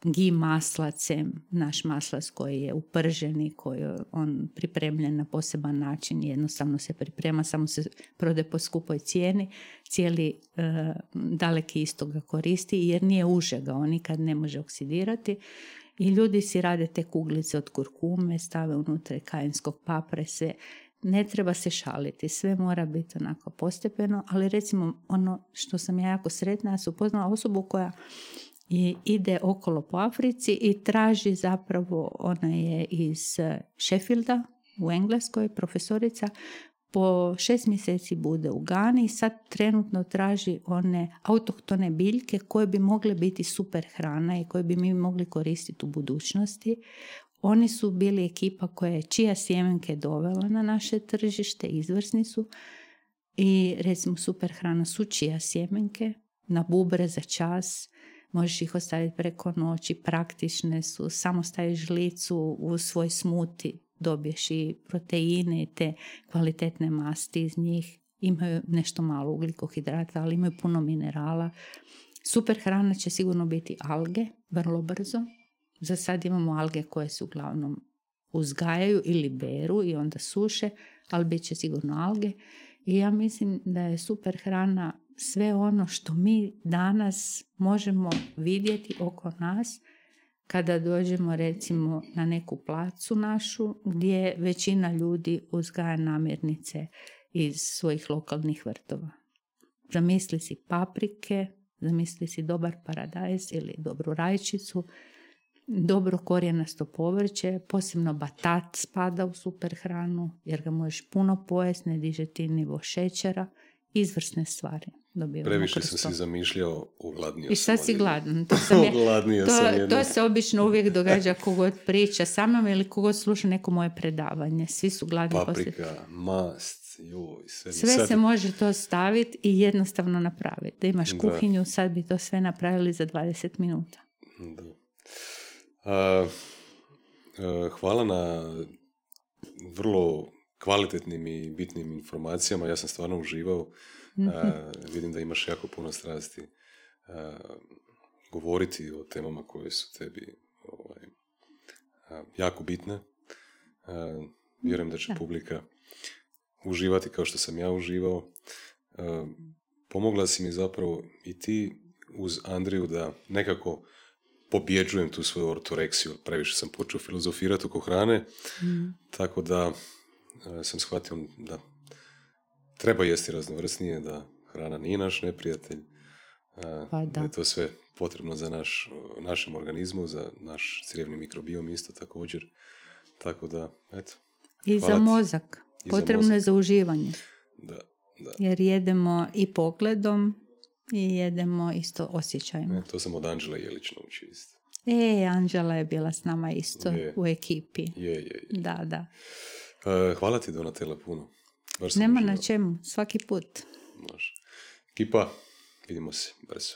[SPEAKER 1] gi maslacem, naš maslac koji je uprženi, koji je on pripremljen na poseban način, jednostavno se priprema, samo se prode po skupoj cijeni, cijeli uh, daleki istok ga koristi jer nije užega, on nikad ne može oksidirati i ljudi si rade te kuglice od kurkume, stave unutra kajenskog papre, sve. Ne treba se šaliti, sve mora biti onako postepeno, ali recimo ono što sam ja jako sretna, ja sam upoznala osobu koja i ide okolo po Africi i traži zapravo, ona je iz Sheffielda u Engleskoj, profesorica, po šest mjeseci bude u Gani i sad trenutno traži one autohtone biljke koje bi mogle biti super hrana i koje bi mi mogli koristiti u budućnosti. Oni su bili ekipa koja je čija sjemenke dovela na naše tržište, izvrsni su i recimo super hrana su čija sjemenke, na bubre za čas, možeš ih ostaviti preko noći, praktične su, samo staviš žlicu u svoj smuti, dobiješ i proteine i te kvalitetne masti iz njih, imaju nešto malo ugljikohidrata, ali imaju puno minerala. Super hrana će sigurno biti alge, vrlo brzo. Za sad imamo alge koje se uglavnom uzgajaju ili beru i onda suše, ali bit će sigurno alge. I ja mislim da je super hrana sve ono što mi danas možemo vidjeti oko nas kada dođemo recimo na neku placu našu gdje većina ljudi uzgaja namirnice iz svojih lokalnih vrtova. Zamisli si paprike, zamisli si dobar paradajz ili dobru rajčicu, dobro korijenasto povrće, posebno batat spada u super hranu jer ga možeš puno pojesti, ne diže ti nivo šećera, izvrsne stvari.
[SPEAKER 2] Previše sam si zamišljao, ugladnio
[SPEAKER 1] I sad
[SPEAKER 2] sam.
[SPEAKER 1] si gladan. To, sam je, to, to se obično uvijek događa kogod priča sa mnom ili kogod sluša neko moje predavanje. Svi su gladni.
[SPEAKER 2] Paprika,
[SPEAKER 1] poslije.
[SPEAKER 2] mast, joj, sve.
[SPEAKER 1] Sve
[SPEAKER 2] sad...
[SPEAKER 1] se može to staviti i jednostavno napraviti. Da imaš
[SPEAKER 2] da.
[SPEAKER 1] kuhinju, sad bi to sve napravili za dvadeset minuta.
[SPEAKER 2] Da. A, a, hvala na vrlo kvalitetnim i bitnim informacijama. Ja sam stvarno uživao. Mm-hmm. A, vidim da imaš jako puno strasti a, govoriti o temama koje su tebi ovaj, a, jako bitne. A, vjerujem da će da. publika uživati kao što sam ja uživao. A, pomogla si mi zapravo i ti uz Andriju da nekako pobjeđujem tu svoju ortoreksiju. Previše sam počeo filozofirati oko hrane, mm. tako da a, sam shvatio da treba jesti raznovrsnije, da hrana nije naš neprijatelj, a, pa da. da je to sve potrebno za naš, našem organizmu, za naš crijevni mikrobiom isto također. Tako da, eto.
[SPEAKER 1] I za mozak. I potrebno za mozak. Je za uživanje.
[SPEAKER 2] Da, da.
[SPEAKER 1] Jer jedemo i pogledom i jedemo isto osjećajima.
[SPEAKER 2] E, to sam od Anđela Jelić naučio isto.
[SPEAKER 1] E, Anđela je bila s nama isto
[SPEAKER 2] je.
[SPEAKER 1] u ekipi.
[SPEAKER 2] Je, je, je.
[SPEAKER 1] Da, da.
[SPEAKER 2] Uh, hvala ti, Donatella, puno.
[SPEAKER 1] Nema na čemu, svaki put.
[SPEAKER 2] Može. Ekipa, vidimo se brzo.